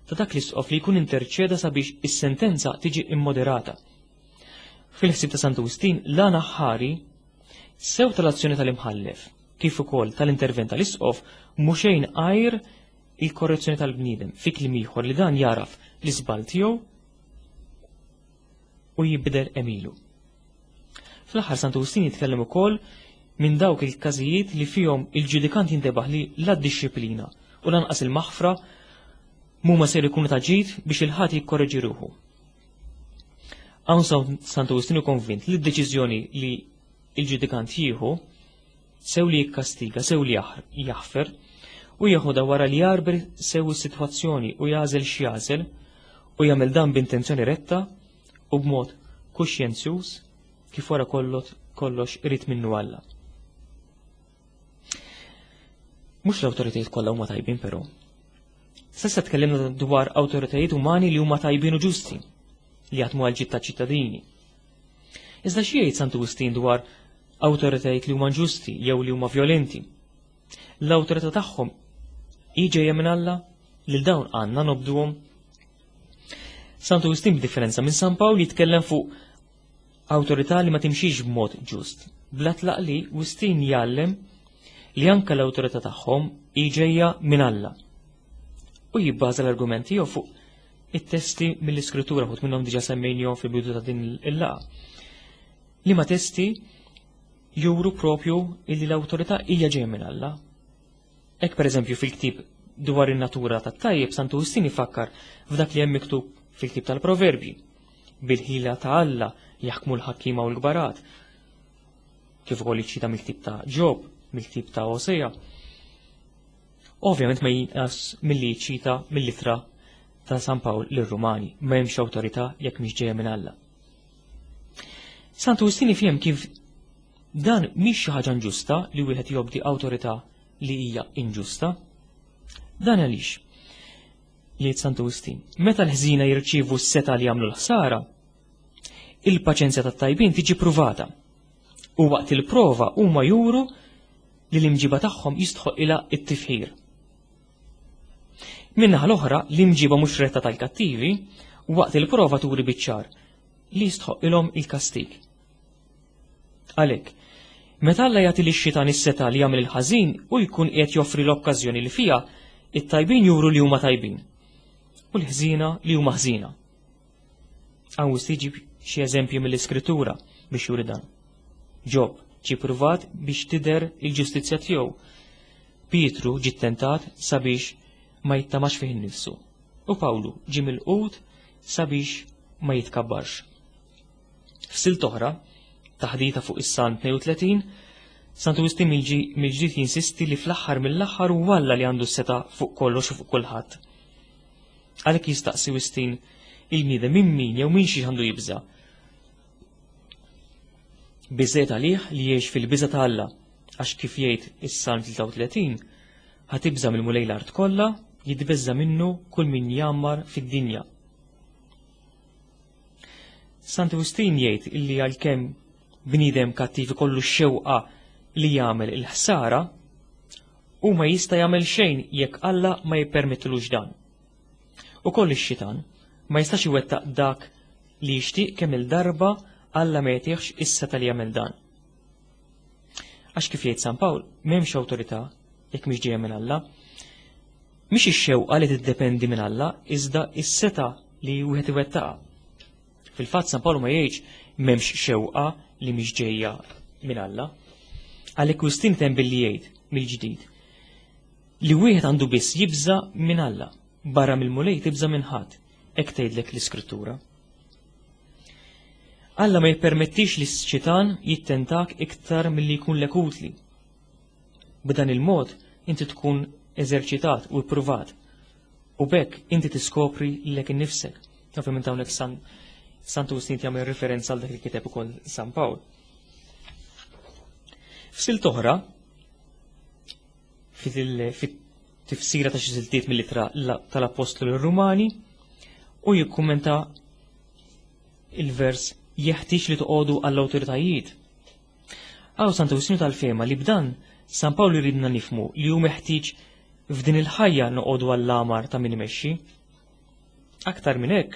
ta' dak l-isqof li jkun interċeda sabiex is-sentenza tiġi immoderata. Fil-ħsieb ta' Santu Wistin, l-għan aħħari sew tal-azzjoni tal-imħallef, kif ukoll tal-intervent tal-isqof, mhu xejn għajr il-korrezzjoni tal-bniedem, fi kliem ieħor li dan jagħraf l-iżball tiegħu u jibdel għemilu. Fl-aħħar Santu Wistin jitkellem ukoll minn dawk il-każijiet li fihom il-ġudikant jintebaħ li la d-dixxiplina u lanqas il-maħfra mhuma ser ikunu ta' ġid biex il-ħati jikkorreġi ruħu. Hawn Santu Wistin hu konvint li d-deċiżjoni li il-ġudikant jieħu sew li jikkastiga, sew li jaħfer, u jeħodha wara li jagħrbel sew is-sitwazzjoni u jagħżel x'jagħżel, u jagħmel dan b'intenzjoni retta u b'mod kuxjenzjuż kif wara kollox irid minnu Alla. Mhux l-awtoritajiet kollha huma tajbin però. S'issa tkellimna dwar awtoritajiet umani li huma tajbin u ġusti, li jaħdmu għal ġid taċ-ċittadini. Iżda xi jgħid Santu Wistin dwar awtoritajiet li huma ġusti jew li huma vjolenti? L-awtorità tagħhom hi ġejja minn Alla lil dawn għandna nobduhom. Santu Wistin b'differenza minn San Pawl jitkellem fuq awtorità li ma timxix b'mod ġust. Bla tlaq li Wistin jgħallem li anke l-awtorità tagħhom hi ġejja minn Alla. U jibbaża l-argument tiegħu fuq it-testi mill-Iskrittura, ħut minnhom diġà semmejnihom fil-bidu ta' din il-laqgħa. Liema testi juru propju illi l-awtorità hija ġejja minn Alla. Hekk pereżempju fil-ktieb dwar in-natura tat-tajjeb Santu Wistin ifakkar f'dak li hemm miktub fil-ktieb tal-Proverbji. Bil-ħila ta' Alla jaħkmu l-ħakkiema u l-kbarat. Kif ukoll jiċċita mill-ktieb ta' Ġob, mill-ktieb ta' Osea. Ovvjament ma jinqas milli jiċċita mill-ittra ta' San Pawl lir-Rumani, ma hemmx awtorità jekk mhix ġejja minn Alla. Santu Wistin ifhem kif dan mhix xi ħaġa inġusta li wieħed jobdi awtorità li hija inġusta. Dan għaliex, jgħid Santu Wistin, meta l-ħżiena jirċievu s-setgħa li jagħmlu l-ħsara, Il-paċenzja tat-tajbin tiġi pruvata. U waqt il-prova huma juru li l-imġiba tagħhom jistħoqilha t-tifħir. Min-naħa l-oħra, l-imġiba mhux retta tal-kattivi waqt il-prova turi biċ-ċar li jistħoqilhom il-kastig. Għalhekk, meta Alla jagħti lix-xitan is-setgħa li jagħmel il-ħażin hu jkun qiegħed joffri l-okkażjoni li fiha it-tajbin juru li huma tajbin u l-ħżiena li huma ħżiena. Hawn jġib xi eżempji mill-Iskrittura biex juri dan. Ġob ġie pruvat biex tidher il-ġustizzja tiegħu. Pietru ġie ttentat sabiex ma jittamax fih innifsu. U Pawlu ġie milqut sabiex ma jitkabbarx. F'silt oħra, taħdita fuq is-Salm 32, Santu Wistin mill-ġdid jinsisti li fl-aħħar mill-aħħar hu Alla li għandu s-setgħa fuq kollox u fuq kulħadd. Għalhekk jistaqsi Wistin il-bniedem minn min jew minn xi għandu jibża'. Biżżejjed għalih li jgħix fil-biża' ta' Alla, għax kif jgħid is-Salm 33, ħa tibża' mill-Mulej l-art kollha, jitbeżża' minnu kull min jgħammar fid-dinja. Santu Wistin jgħid illi għalkemm bniedem kattiv ikollu x-xewqa li jagħmel il-ħsara, hu ma jista' jagħmel xejn jekk Alla ma jippermettilux dan. Ukoll ix-xitan ma jistax iwettaq dak li jixtieq kemm il-darba Alla ma jagħtihx is-setgħa li jagħmel dan. Għax kif jgħid San Pawl, m'hemmx awtorità jekk mhix ġejja minn Alla. Mhix ix-xewqa li tiddependi minn Alla, iżda s-setgħa li wieħed iwettaqha. Fil-fatt San Pawl ma jgħidx m'hemmx xewqa li mhix ġejja minn Alla. Għalhekk Wistin temm billi jgħid mill-ġdid li wieħed għandu biss jibża' minn Alla, barra mill-Mulej tibża' minn ħadd, hekk tgħidlek l-Iskrittura. Alla ma jippermettix li x-xitan jittentak iktar milli jkunlek utli. B'dan il-mod inti tkun eżerċitat u ippruvat. U b'hekk inti tiskopri lilek innifsek. Ovvjament hawnhekk San Santu Wistin jagħmel referenza għal dak li kiteb ukoll San Pawl. F'silt oħra, fit-tifsira ta' xi siltiet mill-ittra tal-Appostlu lir-Rumani, u jikkummenta il-vers jeħtieġ li toqogħdu għall-awtoritajiet. Hawn Santu Wistin tal-fehma li b'dan San Pawl iridna nifhmu li hu meħtieġ f'din il-ħajja noqogħdu għall-amar ta' min imexxi. Aktar minn hekk,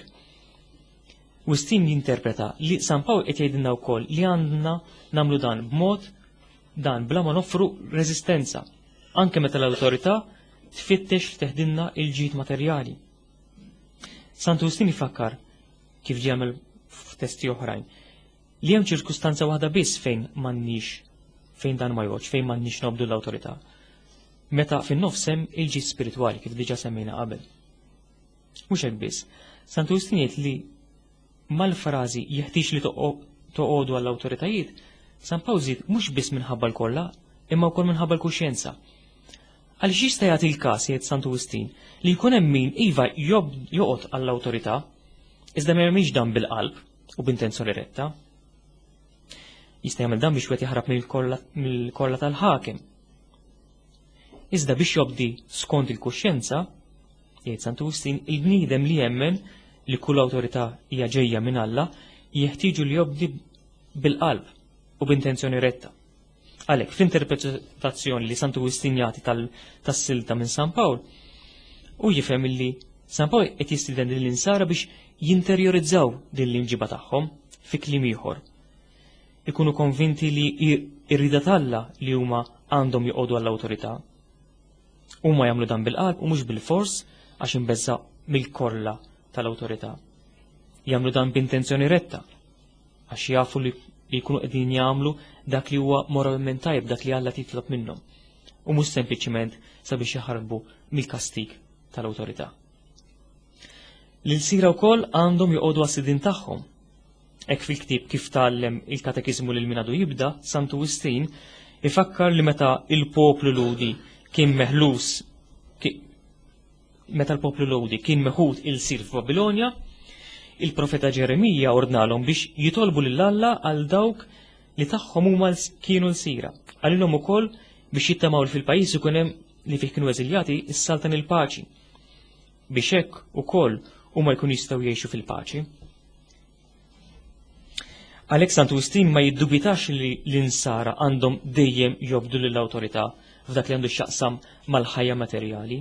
Wistin jinterpreta li San Pawl qed jgħidilna wkoll li għandna nagħmlu dan b'mod dan bla ma noffru reżistenza, anke meta l-awtorità tfittex li teħdilna il-ġid materjali. Santu Wistin ifakkar kif ġie jagħmel f'testi oħrajn li hemm ċirkustanza waħda biss fejn m'għandniex fejn dan ma jgħodx, fejn m'għandniex nobdu l-awtorità. Meta fin-nofs hemm il-ġid spiritwali kif diġà semmejna qabel. Mhux hekk biss, Santu Wistin jgħid li mal-frażi jeħtieġ li toqogħdu għall-awtoritajiet, San Pawl żied mhux biss minħabba l-kollha, imma wkoll minħabba l-kuxjenza. Għaliex jista' jagħti l-każ jgħid Santu Wistin li jkun hemm min iva joqgħod għall-awtorità, iżda ma jagħmilx dan bil-qalb u b'intenzjoni retta. Jista' jagħmel dan biex wieħed jaħrab mill-kolla tal-ħakem. Iżda biex jobdi skont il-kuxjenza, jgħid Santu Wistin, il-bniedem li jemmen li kull awtorità hija ġejja minn Alla, jeħtieġu li jobdi bil-qalb u b'intenzjoni retta. Għalhekk, fl-interpretazzjoni li Santu Wistin jagħti tas-silta minn San Pawl, hu jifhem li San Pawl qed jistieden lill-insara biex jinterjorizzaw din l-imġiba tagħhom fi kliem ieħor. Ikunu konvinti li r-rieda t'Alla li huma għandhom joqogħdu għall-awtorità. Huma jagħmlu dan bil-qalb u mhux bil-fors għax imbeżża' mill-korla tal-awtorità. Jagħmlu dan b'intenzjoni retta għax jafu li jkunu qegħdin jagħmlu dak li huwa moralment tajjeb, dak li Alla titlob minnhom, u mhux sempliċiment sabiex jaħarbu mill-kastig tal-awtorità. L-ilsira wkoll għandhom joqogħdu għas-sidien tagħhom. Hekk fil-ktieb Kif tgħallem il-Katekiżmu lil min għadu jibda, Santu Wistin ifakkar li meta il-poplu Lhudi kien meħlus meta l-poplu Lhudi kien meħud ilsir f'Babilonja, il-profeta Ġeremija ordnalhom biex jitolbu lil Alla għal dawk li tagħhom huma kienu lsira. Qalilhom ukoll biex jittamaw li fil-pajjiż ikun hemm li fih kienu eżiljati s-saltan il-paċi biex hekk ukoll huma jkunu jistgħu jgħixu fil-paċi. Għalhekk Santu Wistin ma jiddubitax li l-insara għandhom dejjem jobdu lill-awtorità f'dak li għandu x'jaqsam mal-ħajja materjali,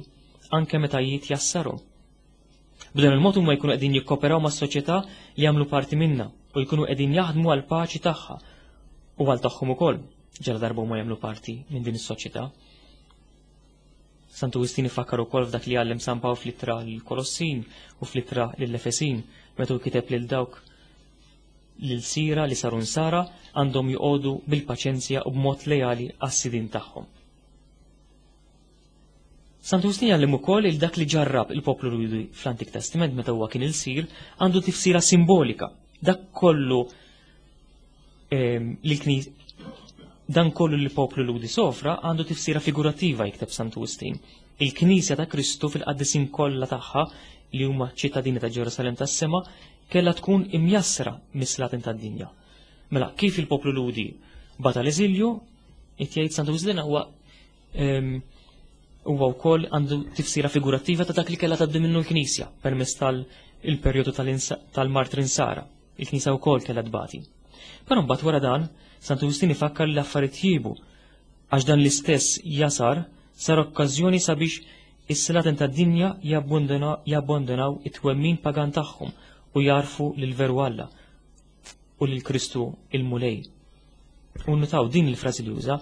anke meta jitjassarhom. B'dan il-mod huma jkunu qegħdin jikkoperaw mas-soċjetà li jagħmlu parti minnha u jkunu qegħdin jaħdmu għal paċi tagħha u għal tagħhom ukoll ġala darba huma jagħmlu parti minn din is-soċjetà. Santu Wistin ifakkar ukoll f'dak li għallem San Pawl fl-ittra lill-Kolossin u fl-ittra lill-Efesin meta hu kiteb lil dawk l-sira li saru nsara għandhom joqogħdu bil-paċenzja u b'mod lejali għas-sidin tagħhom. Santu Wistin jgħallem ukoll il dak li ġarrab il-poplu Lhudi fl-Antik Testament meta huwa kien ilsir għandu tifsira simbolika. Dak kollu ehm, li dan kollu li poplu Lhudi sofra għandu tifsira figurattiva jikteb Santu Wistin. Il-Knisja ta' Kristu fil-qaddisin kollha tagħha li huma ċittadini ta' Ġerusalem tas-sema kellha tkun imjassra mis-slaten tad-dinja. Mela kif il-poplu Lhudi bata l-eżilju, qed jgħid Santu Wistin huwa Huwa wkoll għandu tifsira figurattiva ta' dak li kellha tgħaddi minnu l-Knisja permezz tal-perjodu tal-martri Nsara. Il-Knisja wkoll kellha tbati. Però mbagħad wara dan, Santu Wistin ifakkar li l-affarijiet tjiebu għax dan l-istess jasar sar okkażjoni sabiex is-slaten tad-dinja jabbandunaw it-twemmin pagan tagħhom u jarfu lil veru Alla u lil Kristu il-Mulej. U nutaw din il-frażi li juża,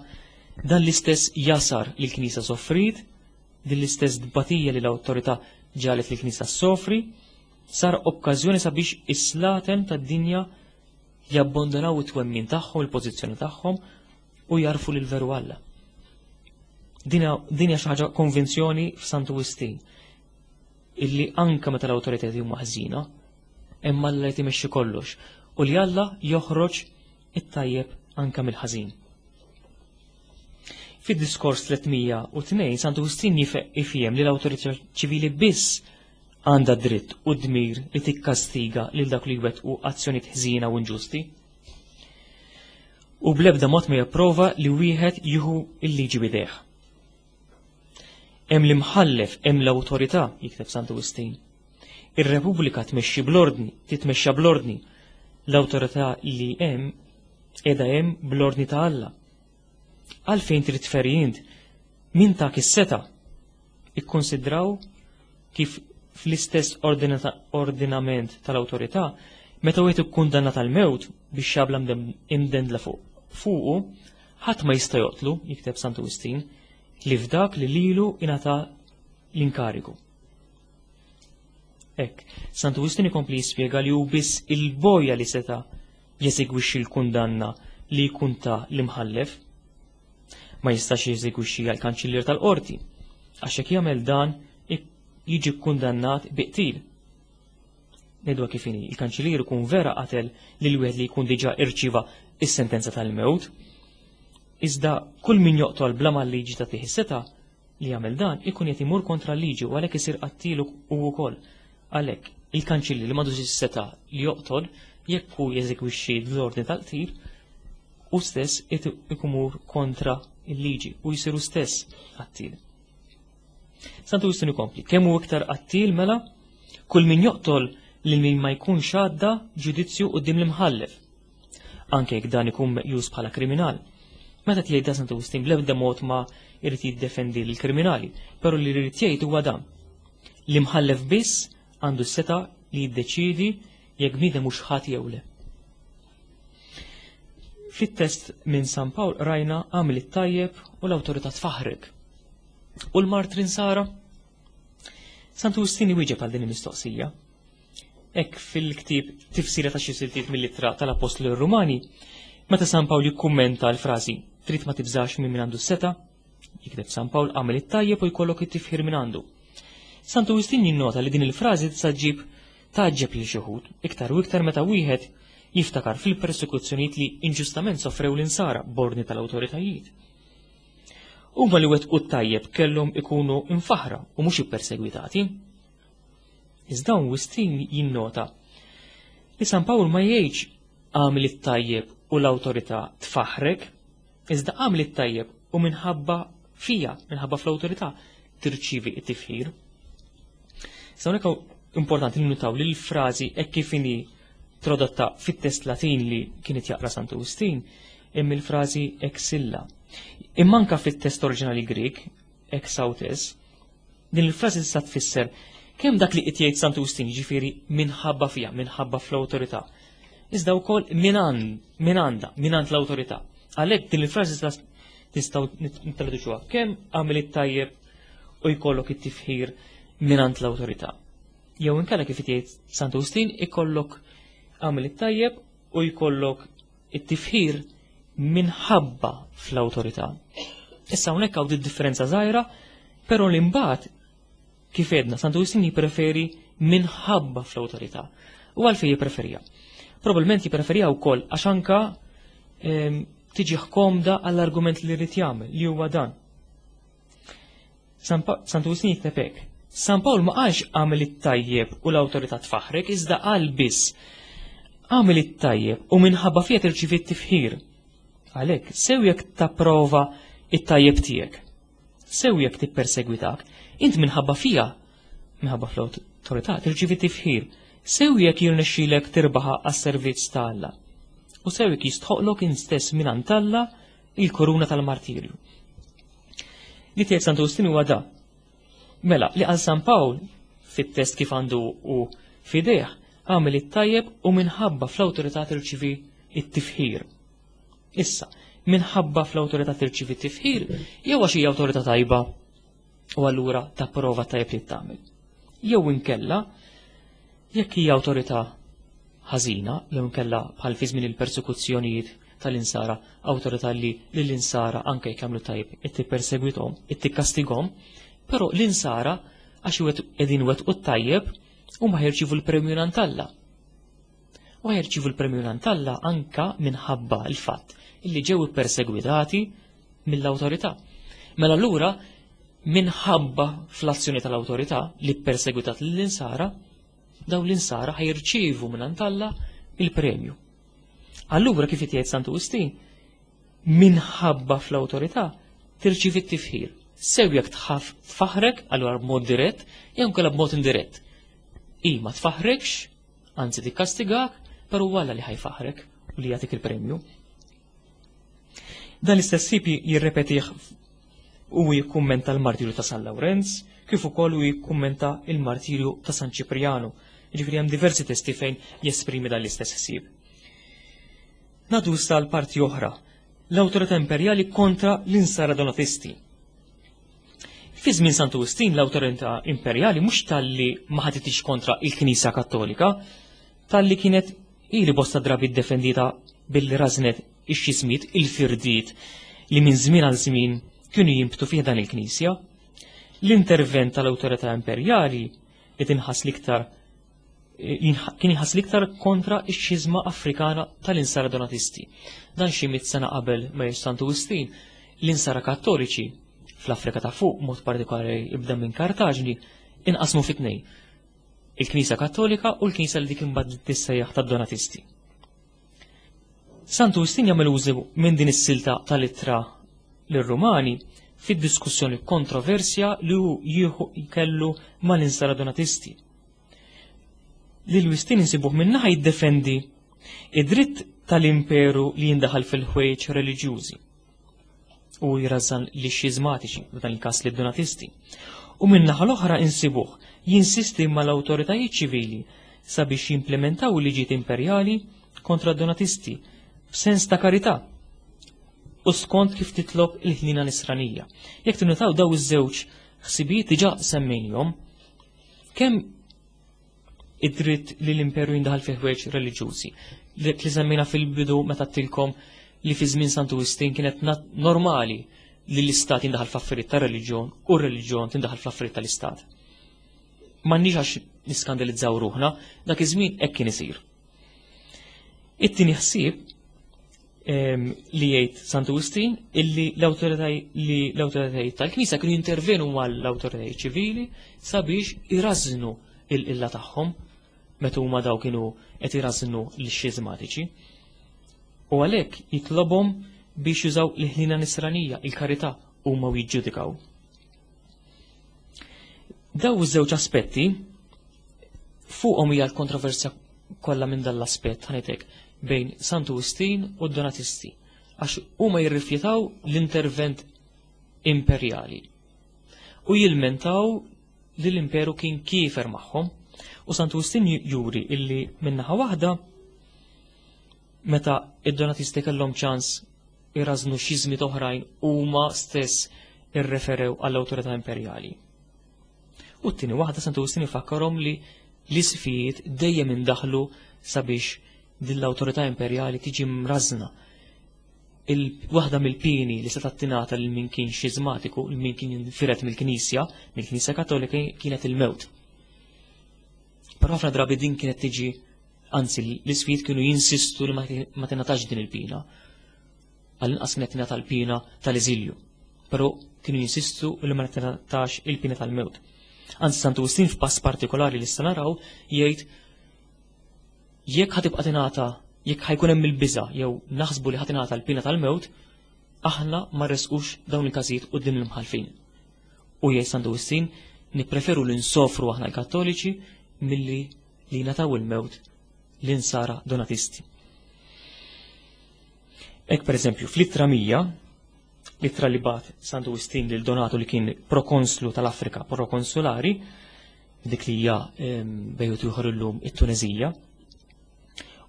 dan l-istess jasar li l-Knisja soffrit, din l-istess dbatija li l-awtorità ġalet li l-Knisja soffri, sar okkażjoni sabiex is-slaten tad-dinja jabbondonaw it-twemmin tagħhom, il-pożizzjoni tagħhom u jarfu lil veru Alla. Din hija xi ħaġa konvinzjoni f'Santu Wistin illi anka meta l-awtoritajiet huma ħżina, hemm Alla li timexxi kollox u li Alla joħroġ it-tajjeb anka mill-ħażin. Fid-diskors 302 Santu Wistin jifhem li l-awtorità ċivili biss għandha dritt u dmir li tikkastiga lil dak li jwettqu azzjonijiet ħżiena u inġusti. U bl-ebda mod ma japprova li wieħed jieħu l-liġi bidejh. Hemm l-imħallef, hemm l-awtorità, jikteb Santu Wistin. Ir-Repubblika tmexxi bl-ordni, titmexxa bl-ordni. L-awtorità li hemm qiegħda hemm bl-ordni ta' Alla. Għalfejn trid tferi int? Min tak is-seta? Ikkonsidraw kif fl-istess ordinament tal-awtorità, meta wieħed ikkundannat għall-mewt biex xabla imdendla fuq fuqu, ħadd ma jista' joqtlu, jikteb Santu Wistin, li f'dak li lilu ingħata l-inkarigu. Hekk, Santu Wistin ikompli jispjega li hu biss il-boja li seta' jeżegwixxi l-kundanna li jkun ta l-imħallef. Ma jistax jeżegwixxi għal kanċillier tal-qorti, għax jekk jagħmel dan jiġi kkundannat bi qtil. Ngħiduha kif inhi, il-kanċillier ikun vera qatel lil wieħed li jkun diġà irċiva is-sentenza tal-mewt. Iżda kull min joqtol bla ma l-liġi tagħtih is-setgħa li jagħmel dan ikun qed imur kontra l-liġi u għalhekk isir qattilu hu wkoll. Għalhekk, il-kanċillier li m'għandux is-setgħa li joqtol jekk hu jeżegwixxi l-ordni tal-qtil, hu stess qed ikumur kontra l-liġi u jsir hu stess qattil. Santu Wistin ikompli, kemm hu iktar qattil mela kull min joqtol lil min ma jkunx għadda ġudizzju quddiem l-imħallef. Anke jekk dan ikun meqjus bħala kriminal. Meta tgħid dan Santu Wistin bl-ebda mod ma jrid jiddefendi lill-kriminali, però li jrid jgħid huwa dan. L-imħallef biss għandu s-seta li jiddeċiedi jekk bniedem hux ħati jew le. Fit-test minn San Pawl rajna għamil it-tajjeb u l-awtorità tfaħrek. U l-martri nsara? Santu Wistin iwieġeb għal din il-mistoqsija. Hekk fil-ktieb Tifsira ta' xi siltiet mill-ittra tal-Apostlu Rumani, meta San Pawl jikkummenta l-frażi trid ma tibżax minn min għandu s-seta, jikteb San Pawl għamel it-tajjeb u jkollok it-tifħir minn għandu. Santu Wistin jinnota li din il-frażi tista' ġġib tgħaġġeb lil xi wħud, iktar u iktar meta wieħed jiftakar fil-persekuzzjonijiet li inġustament sofrew l-insara b'ordni tal-awtoritajiet. Huma li wettqu t-tajjeb kellhom ikunu mfaħħra u mhux ippersegwitati. Iżda hawn Wistin jinnota li San Pawl ma jgħidx għamil it-tajjeb u l-awtorità tfaħħrek, iżda għamil it-tajjeb u minħabba fija, minħabba fl-awtorità tirċivi t-tifħir. Sa hawnhekk importanti li nutaw li l-frażi hekk kif inhi tradotta fit-test Latin li kienet jaqra Santu Wistin, hemm il-frażi exilla. Imma anka fit-test oriġinali Grieg, exautes, din il-frażi tista' tfisser kemm dak li qed jgħid Santu Wistin, jiġifieri minħabba fiha, minħabba fl-awtorità, iżda wkoll minn għandha, minn għand l-awtorità. Għalhekk din il-frażi tistgħu nittraduċuha kemm għamel it-tajjeb u jkollok it-tifħir mingħand l-awtorità. Jew inkella kif jgħid Santu Wistin ikollok għamel it-tajjeb u jkollok it-tifħir minħabba fl-awtorità. Issa hawnhekk hawn differenza żgħira, però li mbagħad kif edna Santu Wistin jippreferi minħabba fl-awtorità. U għalfejn jippreferija? Probabilment jippreferija wkoll għax anka tiġi komda għall-argument li rrid jagħmel li huwa dan. Santu Wistin jikteb hekk. San Pawl ma qalx għamel it-tajjeb u l-awtorità tfaħrek, iżda qal biss għamel it-tajjeb u minħabba fija tirċivi t-tifħir. Għalhekk, sew jekk tapprova it-tajjeb tiegħek, sew jekk tippersegwitak, int minħabba fija, minħabba fl-awtorità, tirċivi tifħir, sew jekk jirnexxilek tirbaħa għas-servizz ta' Alla. U sew jekk jistħoqlok int stess mingħand Alla il-koruna tal-martirju. Li tgħid Santu Wistin huwa da. Mela, li għal San Pawl fit-test kif għandu u fidejh għamel it-tajjeb u minħabba fl-awtorità tirċivi it-tifħir. Issa, minħabba fl-awtorità tirċivi t-tifħir, jew għax hija awtorità tajba u allura tapprova tajjeb li tagħmel. Jew inkella jekk hija awtorità ħażina, jew inkella bħal fi żmien il-persekuzzjonijiet tal-insara, awtorità li lill-insara anke jekk jagħmlu tajjeb qed tippersegwithom, qed tikkastigahom, però l-insara għax qegħdin wettqu t-tajjeb huma ħajrċievu l-premju mingħand Alla. U ħajrċievu l-premju mingħand Alla anka minħabba l-fatt illi ġew ippersegwitati mill-awtorità. Mela allura minħabba fl-azzjoni tal-awtorità li ppersegwitat lill-insara, dawn l-insara ħajrċievu mingħand Alla il-premju. Allura kif jgħid Santu Wistin, minħabba fl-awtorità tirċivi t-tifħir. Sew jekk tħaf tfaħrek, allura b'mod dirett, jew inkella b'mod indirett. I ma tfaħrekx, anzi tikkastigak, però walla li ħajfaħrek u li jagħtik il-premju. Dan l-istess ħsieb jirrepetih u jikkummenta l-martirju ta' San Lawrenz, kif ukoll u jikkummenta il-martirju ta' San Ċiprianu. Jiġifieri hemm diversi testi fejn jesprimi dan l-istess ħsieb. Nadu issa għal parti oħra, l-awtorità imperjali kontra l-insara donatisti. Fi żmien Santu Wistin l-awtorità imperjali mhux talli ma ħaditix kontra il-Knisja Kattolika, talli kienet ili bosta drabi ddefendita billi rażnet ix-xismiet, il-firdiet li minn żmien għal żmien kienu jinbtu fih dan il-Knisja. L-intervent tal-awtorità imperjali li tinħass l-iktar kien jħass l-iktar kontra x-xiżma Afrikana tal-insara Donatisti. Dan xi mit sena qabel ma Santu Wistin, l-insara Kattoliċi fl-Afrika ta' fuq, mod partikolari ibda minn Kartaġni, inqasmu fi tnejn. Il-Knisja Kattolika u l-Knisja li dik imbagħad tissejjaħ tad-Donatisti. Santu Wistin jagħmel użu minn din is-silta tal-ittra lir-Rumani fid-diskussjoni kontroversja li hu jieħu kellu mal-insara Donatisti. Lil Wistin insibuh min-naħa jiddefendi id-dritt tal-imperu li jindaħal fil-ħwejjeġ reliġjużi u jrażżan li xiżmatiċi, f'dan il-każ lid Donatisti. U min-naħa l-oħra insibuh jinsisti mal-awtoritajiet ċivili sabiex jimplementaw il-liġijiet imperjali kontra d-Donatisti b'sens ta' karità u skont kif titlob il-ħnina nisranija. Jekk tinnutaw daw iż-żewġ ħsibijiet diġà semmejnihom, kemm id-dritt li l-imperu jindaħal fi ħwejġ reliġjużi. Li semmejna fil-bidu meta tilkom li fi żmien Santu Wistin kienet normali li l-istat jindaħal fl-affarijiet ta' reliġjon u r-reliġjon tindaħal fl-affarijiet tal-istat. M'għandniex għax niskandalizzaw ruħna, dak iż-żmien hekk kien isir. It-tieni ħsieb li jgħid Santu Wistin illi l-awtoritajiet tal-Knisja kienu jintervenu mal-awtoritajiet ċivili sabiex irażnu il-qilla tagħhom meta huma daw kienu qed irażnu l-xiżmatiċi. U għalhekk jitlobhom biex jużaw l-ħlina nisranija, il-karità huma u jiġġudikaw. Daw iż-żewġ aspetti fuqhom hija l-kontroversja kollha minn dan l-aspett ħanitek bejn Santu Wistin u d-Donatisti għax huma jirrifjutaw l-intervent imperjali u jilmentaw li l-imperu kien kiefer magħhom u Santu Wistin juri illi minnaħa waħda meta id-Donatisti kellhom ċans irażnu xiżmiet oħrajn huma stess irreferew għall-awtorità imperjali. U t-tieni waħda Santu Wistin ifakkarhom li l-isqfijiet dejjem indaħlu sabiex din l-awtorità imperjali tiġi mrażna. Waħda mill-pieni li setgħet tingħata lil min kien xiżmatiku, lil min kien infired mill-Knisja, mill-Knisja Kattolika kienet il-mewt. Però ħafna drabi din kienet tiġi anzi l-isqfijiet kienu jinsistu li ma tingħatax din il-pina. Għall-inqas kienet tingħata l-pina tal-eżilju. Però kienu jinsistu li ma tingħatax il-pina tal-mewt. Anzi Santu Wistin f'pass partikolari li issa naraw jgħid jekk ħatibqa' tingħata jekk ħajkun hemm il-biża' jew naħsbu li ħatingħata l-pina tal-mewt, aħna ma rresqux dawn il-każijiet quddiem l-imħallfin. U jgħid Santu Wistin nippreferu li nsofru aħna l-Kattoliċi milli li jingħataw il-mewt l-insara Donatisti. Hekk pereżempju fl-ittra 100, l-ittra li bat Santu Wistin lil Donatu li kien prokonslu tal-Afrika, prokonsulari, dik li hija bejut ieħor illum it-Tunezija,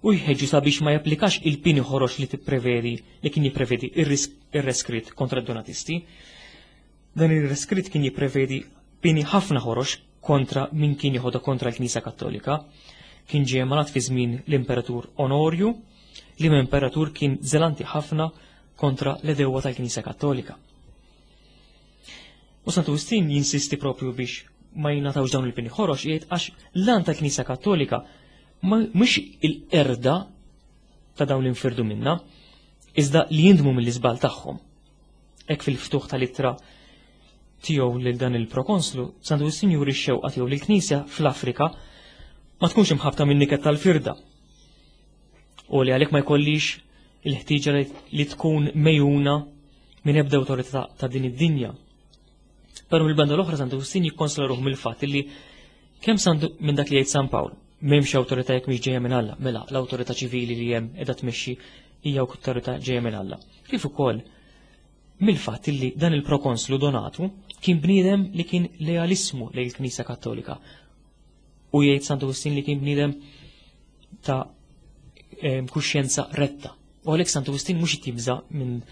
u jħeġġu sabiex ma japplikax il-pini ħorox li tipprevedi li kien jipprevedi ir-reskritt kontra d-Donatisti. Dan ir-reskritt kien jipprevedi pini ħafna ħorox kontra min kien jieħodha kontra l-Knisja Kattolika. Kien ġie emanat fi żmien l-Imperatur Onorju, li imperatur kien zelanti ħafna kontra l-edewwa tal-Knisja Kattolika. U Santu Wistin jinsisti propju biex ma jingħatawx dawn il-pini ħorox jgħid għax l-għan tal-Knisja Kattolika mhux il-qerda ta' dawn l-infirdu minna, iżda li jindmu mill-iżbal tagħhom. Hekk fil-ftuħ tal-ittra tiegħu lil dan il-prokonslu, Santu Wistin juri x-xewqa tiegħu li l-Knisja fl-Afrika ma tkunx imħabta minn niket tal-firda. U li għalhekk ma jkollix il-ħtieġa li tkun mejuna minn ebda awtorità ta' din id-dinja. Però mill-banda l-oħra Santu Wistin jikkonsola ruħu mill-fatt li kemm Santu minn dak li jgħid San Pawl, m'hemmx awtorità jekk mhix ġejja minn Alla, mela l-awtorità ċivili li hemm qiegħda tmexxi hija awtorità ġejja minn Alla. Kif ukoll mill-fatt li dan il-prokonslu Donatu kien bniedem li kien lealismu lejn il-Knisja Kattolika. U jgħid Santu Wistin li kien bniedem ta' kuxjenza retta. U għalhekk Santu Wistin mhux jibża minn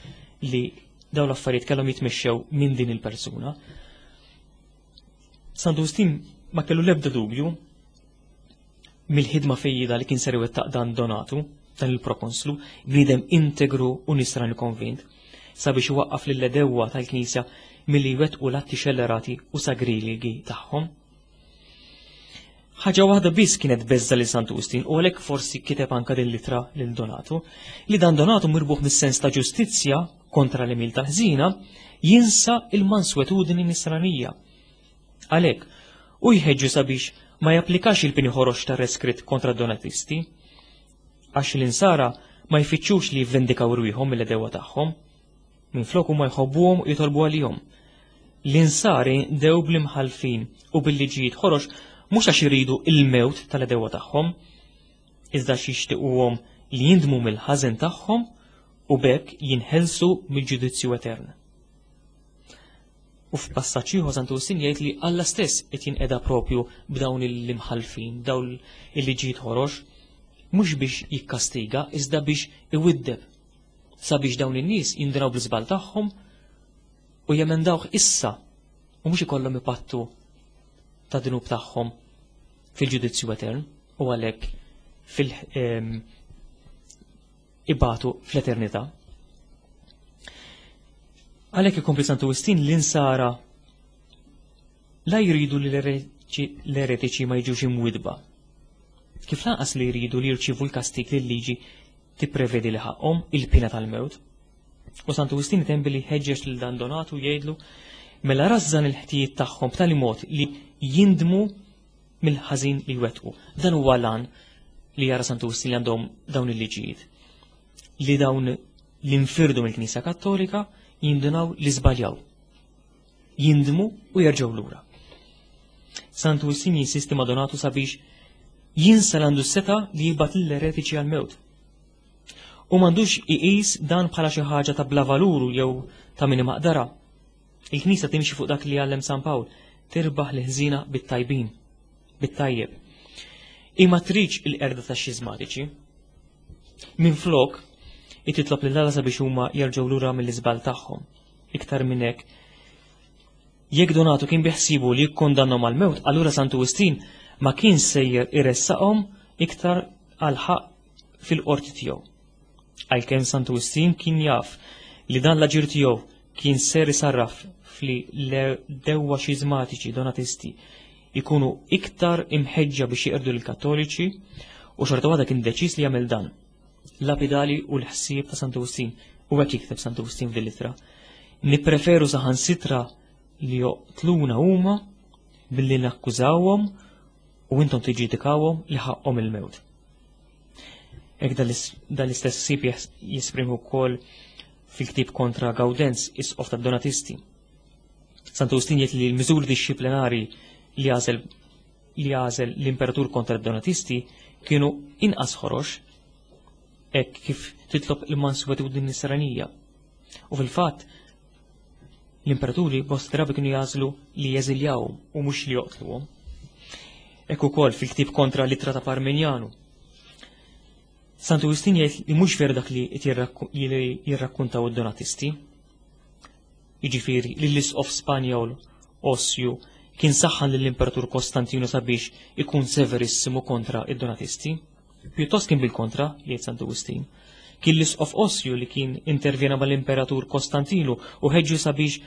li dawn l-affarijiet kellhom jitmexxew minn din il-persuna. Santu Wistin ma kellu l-ebda dubju mill-ħidma fejjida li kien ser iwettaq dan Donatu, dan il-prokonslu, bniedem integru u nisrani konvint, sabiex iwaqqaf lill-edewwa tal-Knisja milli jwettqu l-atti xellerati u sagrilegi tagħhom. Ħaġa waħda biss kienet beżza lil Santu Wistin u għalhekk forsi kiteb anka din l-ittra lil Donatu, li dan Donatu mirbuħ mis-sens ta' ġustizzja kontra l-emil tal-ħżina jinsa il-manswetudni nisranija. Għalhekk, hu jħeġġu sabiex ma japplikax il-pini ħorox tar-reskritt kontra d-Donatisti, għax l-Insara ma jfittxux li jivvendikaw rwieħhom mill-għedewwa tagħhom. Minflok huma jħobbuhom u jitolbu għalihom. L-Insari dew bl-imħallfin u bil-liġijiet ħorox mhux għax iridu il-mewt tal-għedewwa tagħhom, iżda għax jixtiquhom li jindmu mill-ħażen tagħhom u b'hekk jinħelsu mill-ġudizzju etern. U f'passaġġ ieħor Santu Wistin jgħid li Alla stess qed jinqeda propju b'dawn l-imħallfin, dawn il-liġijiet ħorox, mhux biex jikkastiga iżda biex iwiddeb sabiex dawn in-nies jindunaw bl-iżball tagħhom u jemendawh issa u mhux ikollhom ipattu ta' dnub tagħhom fil-ġudizzju etern u għalhekk fil ehm, ibatu fl-eternità. Għalhekk ikompli Santu Wistin l-insara la jridu li l-eretiċi ma jiġux imwidba. Kif lanqas li jridu li jirċivu l-kastik li l-liġi tipprevedi li ħaqhom il-pina tal-mewt. U Santu Wistin item billi ħeġġeġ lil dan Donatu jgħidlu mela rażżan il-ħtijiet tagħhom b'tali mod li jindmu mill-ħażin li jwettqu. Dan huwa lan li jara Santu Wistin li għandhom dawn il-liġijiet. Li dawn l-infirdu mill-Knisja Kattolika jindunaw li żbaljaw. Jindmu u jerġgħu lura. Santu Wistin jinsisti ma' Donatu sabiex Jinsa l għandu seta li jibgħat lill-eretiċi għall-mewt. U m'għandux iqis dan bħala xi ħaġa ta' bla valur jew ta' min imaqdara. Il-Knisja timxi fuq dak li għallem San Pawl, tirbaħ l-ħżiena bit-tajbin, bit-tajjeb. Imma tridx il-qerda ta' xiżmatiċi. Minflok, titlob lil Alla sabiex huma jerġgħu lura mill-iżball tagħhom. Iktar minn hekk, jekk Donatu kien biħsibu li jikkondannhom għall-mewt, allura Santu Wistin ma kien sejjer iressaqhom iktar għal ħaqq fil-qorti tiegħu. Għalkemm Santu Wistin kien jaf li dan l-aġir tiegħu kien ser isarraf fli l-dewwa xiżmatiċi donatisti ikunu iktar imħeġġa biex jeqirdu lill-Kattoliċi u xorta waħda kien deċiż li jagħmel dan. Lapidali u l-ħsieb ta' Santu Wistin u hekk jikteb Santu Wistin fil-ittra. Nippreferu saħansitra li joqtluna huma billi nakkużawhom u intom tiġġudikawhom li ħaqqhom il-mewt. Hekk dan l-istess ħsieb jesprimi wkoll fil-ktieb kontra Gaudenz, isqof tad-Donatisti. Santu Wistin jgħid li l-miżuri dixxiplinari li għażel li għażel l-imperatur kontra d-Donatisti kienu inqas ħorox hekk kif titlob il-manswetudni nisranija. U fil-fatt, l-imperaturi bosta drabi kienu jagħżlu li jeżiljawhom u mhux li joqtluhom. Hekk ukoll fil-ktieb kontra l-ittra ta' Parmenjanu. Santu Wistin jgħid li mhux veru dak li jirrakkuntaw id-Donatisti. Jiġifieri li l-isqof Spanjol Osju kien saħħan lill-Imperatur Kostantinu sabiex ikun severissimu kontra id-Donatisti. Pjuttost kien bil-kontra, jgħid Santu Wistin. Kien l-isqof Osju li kien intervjena mal-Imperatur Kostantinu u ħeġġu sabiex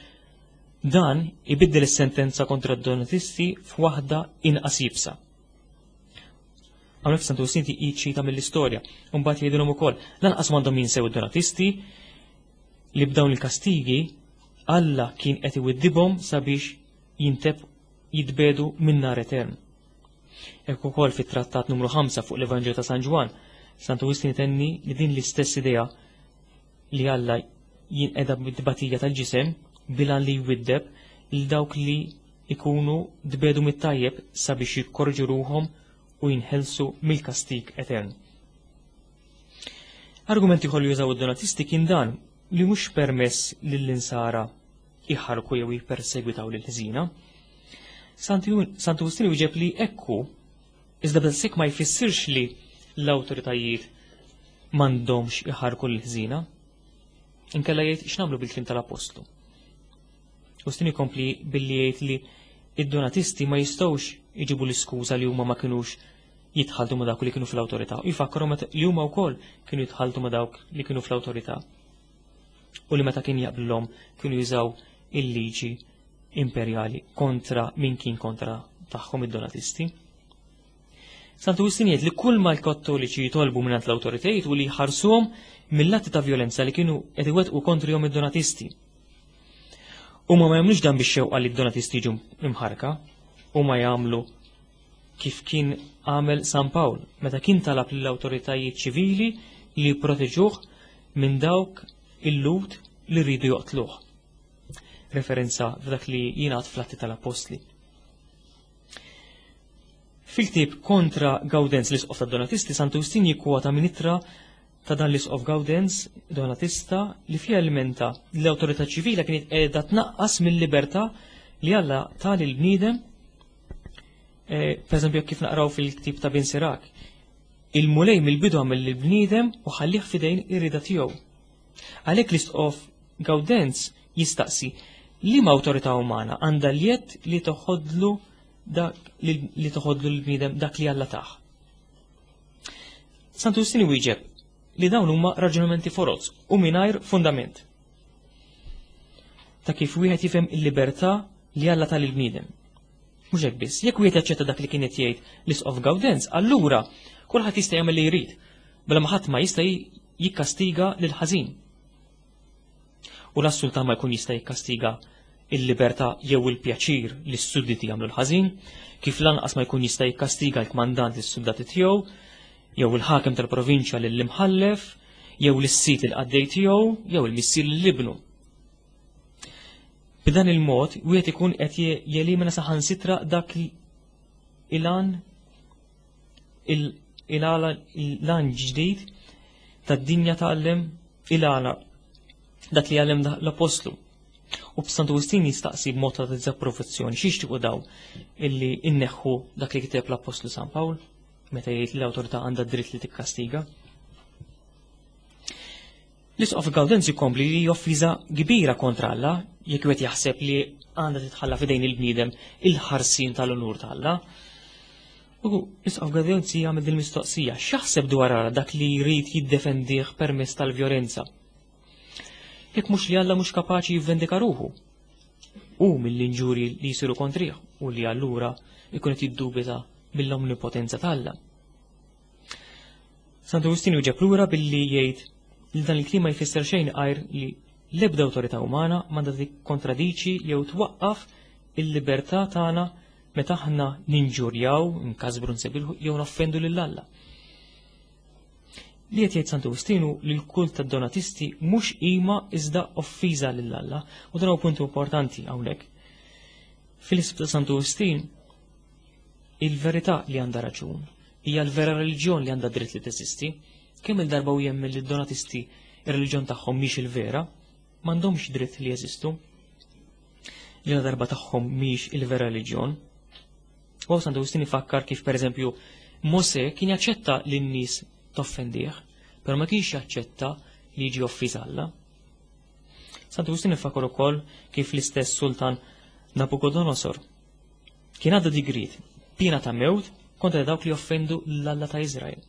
dan ibiddel is-sentenza kontra d-Donatisti f'waħda inqas iebsa. Hawnhekk Santu Wistin jiċċita mill-istorja, u mbagħad jgħidilhom ukoll lanqas m'għandhom jinsew id-Donatisti li b'dawn il-kastigi Alla kien qed iwiddibhom sabiex jinteb jitbedu minn nar etern. Hekk ukoll fit-trattat numru 5 fuq l-Evanġelju ta' San Ġwann, Santu Wistin itenni li din l-istess idea li Alla jinqeda bit-tbatija tal-ġisem bilan li jwiddeb lil dawk li ikunu tbedu mit-tajjeb sabiex jikkorġu ruħhom u jinħelsu mill-kastig etern. Argument ieħor li jużaw id-donatisti kien dan li mhux permess lill-insara iħarku jew jippersegwitaw lil ħżina. Santu Wistin wieġeb li ekku, iżda b'daqshekk ma jfissirx li l-awtoritajiet m'għandhomx iħarku lil ħżina. Inkella jgħid x'nagħmlu bil-kliem tal-Apostlu. Wistin ikompli billi jgħid li id-donatisti ma jistgħux iġibu l-iskuża li huma ma kinux jitħaltu ma dawk li kienu fl-awtorità. U jfakkarhom li huma wkoll kienu jitħaltu ma dawk li kienu fl-awtorità. U li meta kien jaqblilhom kienu jużaw il-liġi imperjali kontra min kien kontra tagħhom id-donatisti. Santu Wistin jgħid li kull ma l-Kattoliċi jitolbu mingħand l-awtoritajiet u li jħarsuhom mill-atti ta' violenza li kienu qed iwettqu kontrihom id-donatisti. Huma ma jagħmlux dan biex xewqa li d-donatisti jiġu imħarka, huma jagħmlu kif kien għamel San Pawl meta kien talab lill-awtoritajiet ċivili li jipproteġuh minn dawk il-Lhud li rridu joqtluh. Referenza f'dak li jingħad fl-Atti tal-Appostli. Fil-ktieb kontra Gaudenz l-Isqof tad-Donatisti, Santu Wistin jikkwota minn ittra ta' dan l-Isqof Gaudenz Donatista li fiha ilmenta li l-awtorità ċivila kienet qiegħda tnaqqas mill-libertà li Alla ta lill-bniedem Eh, per eżempju, kif naqraw fil-ktib ta' Bin Sirak, il-mulej mill-bidu għamel lill-bniedem u ħallih fidejn ir-rida tiegħu. Għalhekk l-isqof Gaudenz jistaqsi li ma awtorità umana għandha l-jedd li toħodlu dak li toħodlu l-bniedem dak li Alla taħ. Santu Justini wieġeb li dawn huma raġunamenti foroz u mingħajr fundament. Ta' kif wieħed jifhem il-libertà li Alla tal il-bniedem. Mhux hekk biss, jekk wieħed jaċċetta dak li kien qed jgħid l-Isqof Gawdenz, allura kulħadd jista' jagħmel li jrid, bla ma ħadd ma jista' jikkastiga lil ħażin. U la sultan ma jkun jista' jikkastiga il-libertà jew il-pjaċir li s-sudditi jagħmlu l-ħażin, kif lanqas ma jkun jista' jikkastiga l-kmandant lis-suldati tiegħu, jew il-ħakem tal-provinċja lill-imħallef, jew lis-sid il-qaddej tiegħu, jew il-missier lill-ibnu. B'dan il-mod, wieħed ikun qed jelimina saħansitra dak il-għan Il-għala l-għan ġdid tad-dinja tgħallem il-għala dak li għallem l-apostlu. U b'Santu Wistin jistaqsi b'mod ta' diżapprovazzjoni x'jixtiequ daw illi inneħħu dak li kiteb l-apostlu San Pawl meta jgħid li l-awtorità għandha dritt li tikkastiga. L-Isqof Gaudenz jkompli li offiża kbira kontra Alla jekk wieħed jaħseb li għandha titħalla f'idejn il-bniedem il-ħarsien tal-unur ta' Alla. U l-Isqof Gaudenz jagħmel din mistoqsija, x'jaħseb dwar Alla dak li jrid jiddefendih permezz tal-vjolenza? Jekk mhux li Alla mhux kapaċi jivvendika ruħu u mill-inġuri li jsiru kontrih u li allura jkun qed jiddubita mill-omnipotenza ta' Alla. Santu Wistin jwieġeb lura billi jgħid li dan il-kliem ma jfisser xejn għajr li l-ebda awtorità umana m'għandha tikkontradiċi jew twaqqaf il-libertà tagħna meta aħna ninġurjaw, nkasbru nsebilħu jew noffendu lil Alla. Li qed jgħid Santu Wistinu li l-kult tad-Donatisti mhux qima iżda offiża lil Alla u dan huwa punt importanti hawnhekk. Fil-isb ta' Santu Wistin il-verità li għandha raġun hija l-vera reliġjon li għandha dritt li teżisti. Kemm il-darba u jemmen li d-Donatisti ir-reliġjon tagħhom mhix il-vera, m'għandhomx dritt li jeżistu. Ġena darba tagħhom mhix il-vera reliġjon. U Santu Wistin ifakkar kif pereżempju Mose kien jaċċetta li n-nies toffendih, però ma kienx jaċċetta li jiġi offiż Alla. Santu Wistin ifakkar ukoll kif l-istess sultan Nabucodonosor kien għadda digrit pina ta' mewt kontra dawk li offendu l-Alla ta' Izrael.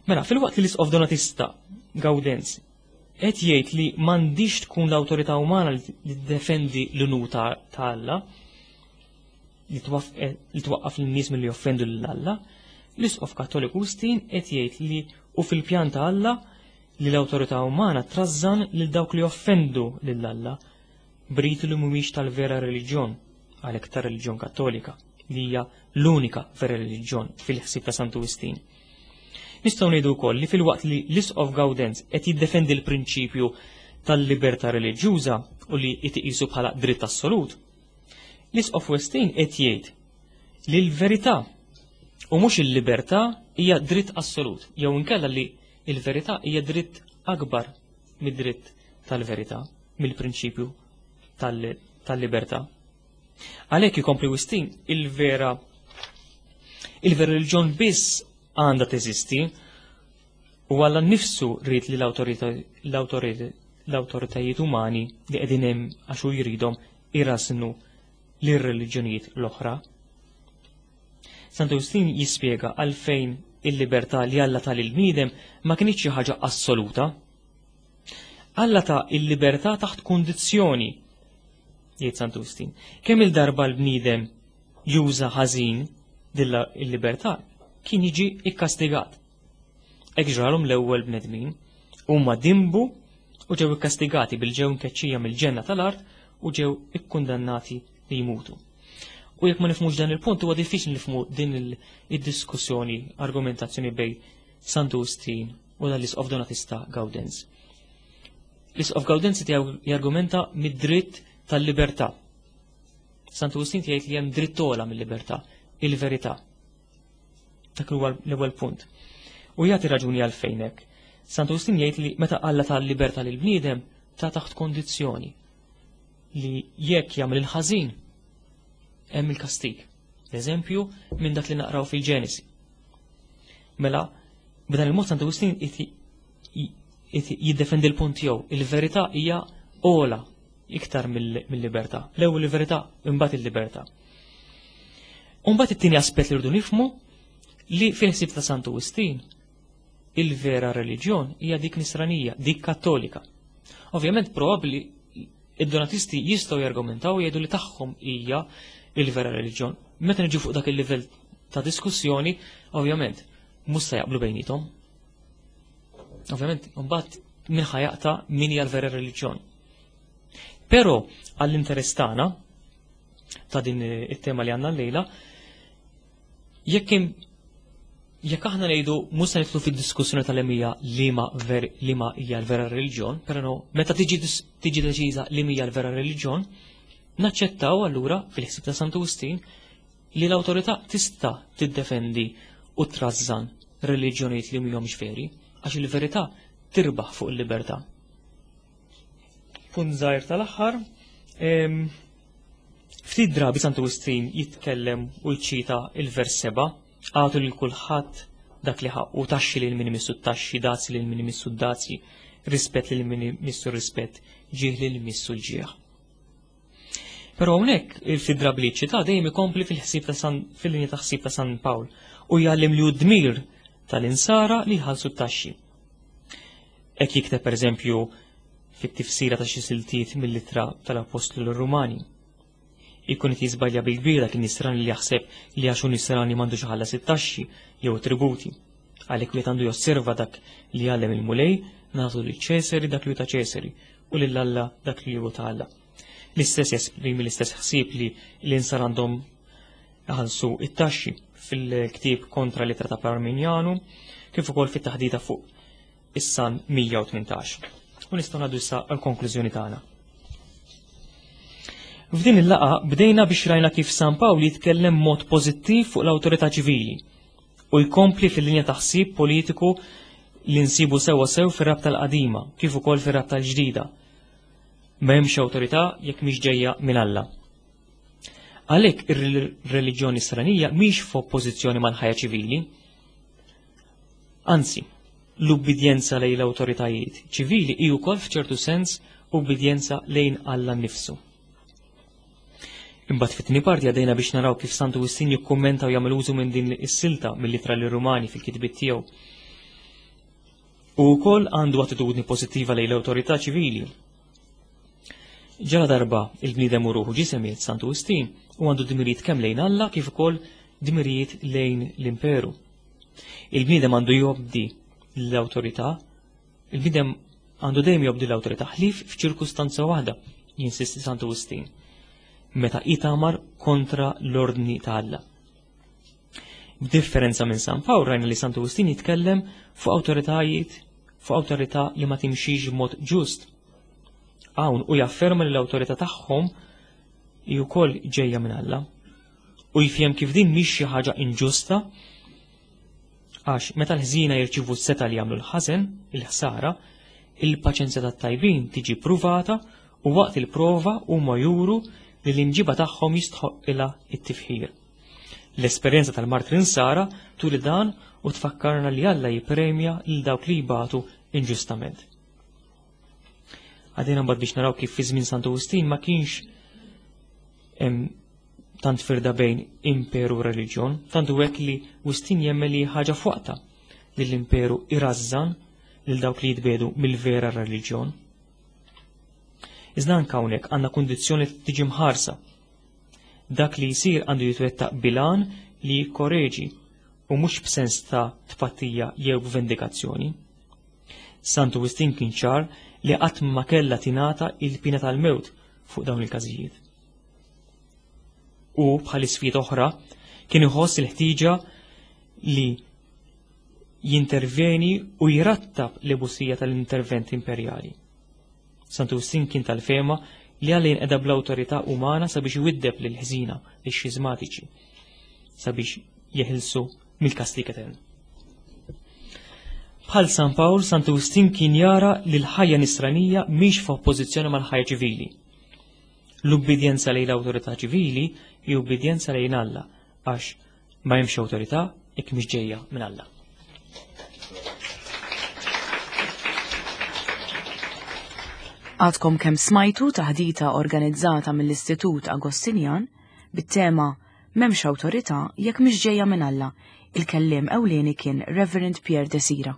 Mela, fil-waqt li l-isqof Donatista Gaudenz qed jgħid li m'għandix tkun l-awtorità umana li tiddefendi l-unur ta' Alla, li twaqqaf lin-nies milli joffendu lil Alla, l-Isqof Kattoliku Wistin qed jgħid li hu fil-pjan ta' Alla li l-awtorità umana trażżan lil dawk li joffendu lil Alla b'riti li mhumiex tal-vera reliġjon, għalhekk tar-reliġjon Kattolika, li hija l-unika vera reliġjon fil-ħsieb ta' Santu Wistin. Nistgħu ngħidu wkoll li filwaqt li l-Isqof Gaudenz qed jiddefendi l-prinċipju tal-libertà reliġjuża u li jtiqisu bħala dritt assolut, l-Isqof Westin qed jgħid li l-verità u mhux il-libertà hija dritt assolut, jew inkella li l-verità hija dritt akbar mid-dritt tal-verità, mill-prinċipju tal-libertà. Għalhekk ikompli Wistin il-vera il-vera reliġjon biss għandha teżisti u Alla nnifsu ried li l-awtoritajiet umani li qegħdin hemm għax hu jridhom irasnu lir-reliġjonijiet l-oħra. Santu Wistin jispjega għalfejn il-libertà li Alla ta lill-bniedem ma kinitx xi ħaġa assoluta. Alla ta il-libertà taħt kundizzjoni jgħid Santu Wistin. Kemm il-darba l-bniedem juża ħażin dilla il-libertà kien jiġi ikkastigat. Hekk ġralhom l-ewwel bnedmin, huma dimbu u ġew ikkastigati bil-ġew nkeċċija mill-ġenna tal-art u ġew ikkundannati li jmutu. U jekk ma nifhmux dan il-punt huwa diffiċli nifhmu din id-diskussjoni, argumentazzjoni bejn Santu Wistin u dan l-Isqof Donatista Gaudenz. L-Isqof Gaudenzi tiegħu jargumenta mid-dritt tal-libertà. Santu Wistin jgħid li hemm dritt ogħla mill-libertà, il-verità. Dak huwa l-ewwel punt. U jagħti raġuni għalfejn hekk. Santu Wistin jgħid li meta Alla ta libertà lil bniedem ta' taħt kondizzjoni li jekk jagħmel il-ħażin hemm il-kastig. Eżempju minn dak li naqraw fil-Ġenesi. Mela, b'dan il-mod Santu Wistin jiddefendi l-punt tiegħu. Il-verità hija ola iktar mill-libertà. L-ewwel il-verità, imbagħad il-libertà. Imbagħad it-tieni aspett li rridu nifhmu li fil-ħsieb ta' Santu Wistin il-vera reliġjon hija dik nisranija, dik kattolika. Ovvjament probabbli id-donatisti jistgħu jargumentaw jgħidu li tagħhom hija il-vera reliġjon. Meta niġu fuq dak il-livell ta' diskussjoni, ovvjament, mhux se jaqblu bejnietom. Ovvjament, mbagħad min ħajaqta min hija l-vera reliġjon. Però għall-interess tagħna ta' din it-tema li għandna llejla, jekk jekk aħna ngħidu mhux se nidħlu fid-diskussjoni tal-emija liema ver liema hija l-vera reliġjon, però meta tiġi tiġi deċiża li hija l-vera reliġjon, naċċettaw allura fil-ħsieb ta' Santu Wistin li l-awtorità tista' tiddefendi u trażżan reliġjonijiet li mhumiex veri, għax il-verità tirbaħ fuq il-libertà. Punt żgħir tal-aħħar, ftit drabi Santu Wistin jitkellem u jċita il-vers 7, għatu lil kulħadd dak li ħaqqu, taxxi lil min imissu t-taxxi, dazji lil min imissu d-dazji, rispett lil min imissu r-rispett, ġieħ lil imissu l-ġieħ. Però hawnhekk il-ftit drabi li ċita dejjem ikompli fil-ħsieb ta' San fil-linja ta' ħsieb ta' San Pawl u jgħallim li hu dmir tal-insara li jħallsu t-taxxi. Hekk jikteb pereżempju fit-tifsira ta' xi siltiet mill-ittra tal-Appostlu lir-Rumani. Ikun qed jiżbalja bil-kbir dak in-nisrani li jaħseb li għax hu nisrani m'għandux iħallas it-taxxi jew it-tributi. Għalhekk wieħed għandu josserva dak li jgħallem il-Mulej, nagħtu lil Ċesari dak li hu ta' Ċesari u lil Alla dak li hu ta' Alla. L-istess jesprimi l-istess ħsieb li l-insar għandhom iħallsu it-taxxi fil-ktieb kontra l-ittra ta' Parminjanu kif ukoll fit-taħdita fuq is-Salm 118. U nistgħu ngħaddu issa għall-konklużjoni tagħna. F'din il-laqa bdejna biex rajna kif San Pawl jitkellem mod pożittiv fuq l-awtorità ċivili u jkompli fil-linja ta' ħsieb politiku li nsibu sewwa sew fir-rabta l-qadima kif ukoll fir-rabta l-ġdida. M'hemmx awtorità jekk mhix ġejja minn Alla. Għalhekk ir-reliġjon nisranija mhix f'oppożizzjoni mal-ħajja ċivili. Anzi, l-ubbidjenza lejn l-awtoritajiet ċivili hi wkoll f'ċertu sens ubbidjenza lejn Alla nnifsu. Imbagħad fit-tieni parti għadejna biex naraw kif Santu Wistin jikkummenta u jagħmel użu minn din is-silta mill-ittra lir-Rumani fil-kitbiet tiegħu. U wkoll għandu attitudni pożittiva lejn l-awtorità ċivili. Ġala darba il-bniedem u ruħu ġisem jgħid Santu Wistin u għandu dmirijiet kemm lejn Alla kif ukoll dmirijiet lejn l-imperu. Il-bniedem għandu jobdi l-awtorità, il-bniedem għandu dejjem jobdi l-awtorità ħlief f'ċirkustanza waħda, jinsisti Santu Wistin, meta itamar kontra l-ordni ta' Alla. B'differenza minn San Pawl rajna li Santu Wistin jitkellem fuq awtoritajiet, fuq awtorità li ma timxix b'mod ġust. Hawn u jafferma li l-awtorità tagħhom hi wkoll ġejja minn Alla. U jifhem kif din mhix xi ħaġa inġusta għax meta l-ħżiena jirċivu s-seta li jagħmlu l-ħażen, il-ħsara, il-paċenzja tat-tajbin tiġi pruvata u waqt il-prova huma juru li l-imġiba tagħhom jistħoqilha it-tifħir. L-esperjenza tal-martri Sara turi dan u tfakkarna li Alla jippremja lil dawk li jbatu inġustament. Għadina mbagħad biex naraw kif fi żmien Santu Wistin ma kienx hemm tant firda bejn imperu u reliġjon, tant hu hekk li Wistin jemmen li ħaġa f'waqtha li l-imperu irażżan lil dawk li jitbedu mill-vera reliġjon. Iżda anke hawnhekk għandna kundizzjoni li tiġi mħarsa. Dak li jsir għandu jitwettaq bilan li jikkoreġi u mhux b'sens ta' tpattija jew b'vendikazzjoni. Santu Wistin kien ċar li qatt ma kellha tingħata il-pina tal-mewt fuq dawn il-każijiet. U bħal isfijiet oħra kien iħoss il-ħtieġa li jinterveni u jrattab l-ebusija tal-intervent imperjali. Santu Wistin kien tal-fema li Alla jinqeda bl-awtorità umana sabiex iwiddeb lil ħżina lix xiżmatiċi sabiex jeħilsu mill-kastig etern. Bħal San Pawl, Santu Wistin kien jara li l-ħajja nisranija mhix f'oppożizzjoni mal-ħajja ċivili. L-ubbidjenza lejn l-awtorità ċivili hi ubbidjenza lejn Alla għax ma hemmx awtorità jekk mhix ġejja minn Alla. Għadkom kemm smajtu taħdita organizzata mill-Istitut Agostinjan bit-tema M'hemmx awtorità jekk mhix ġejja minn Alla. Il-kelliem ewlieni kien Reverend Pierre Desira.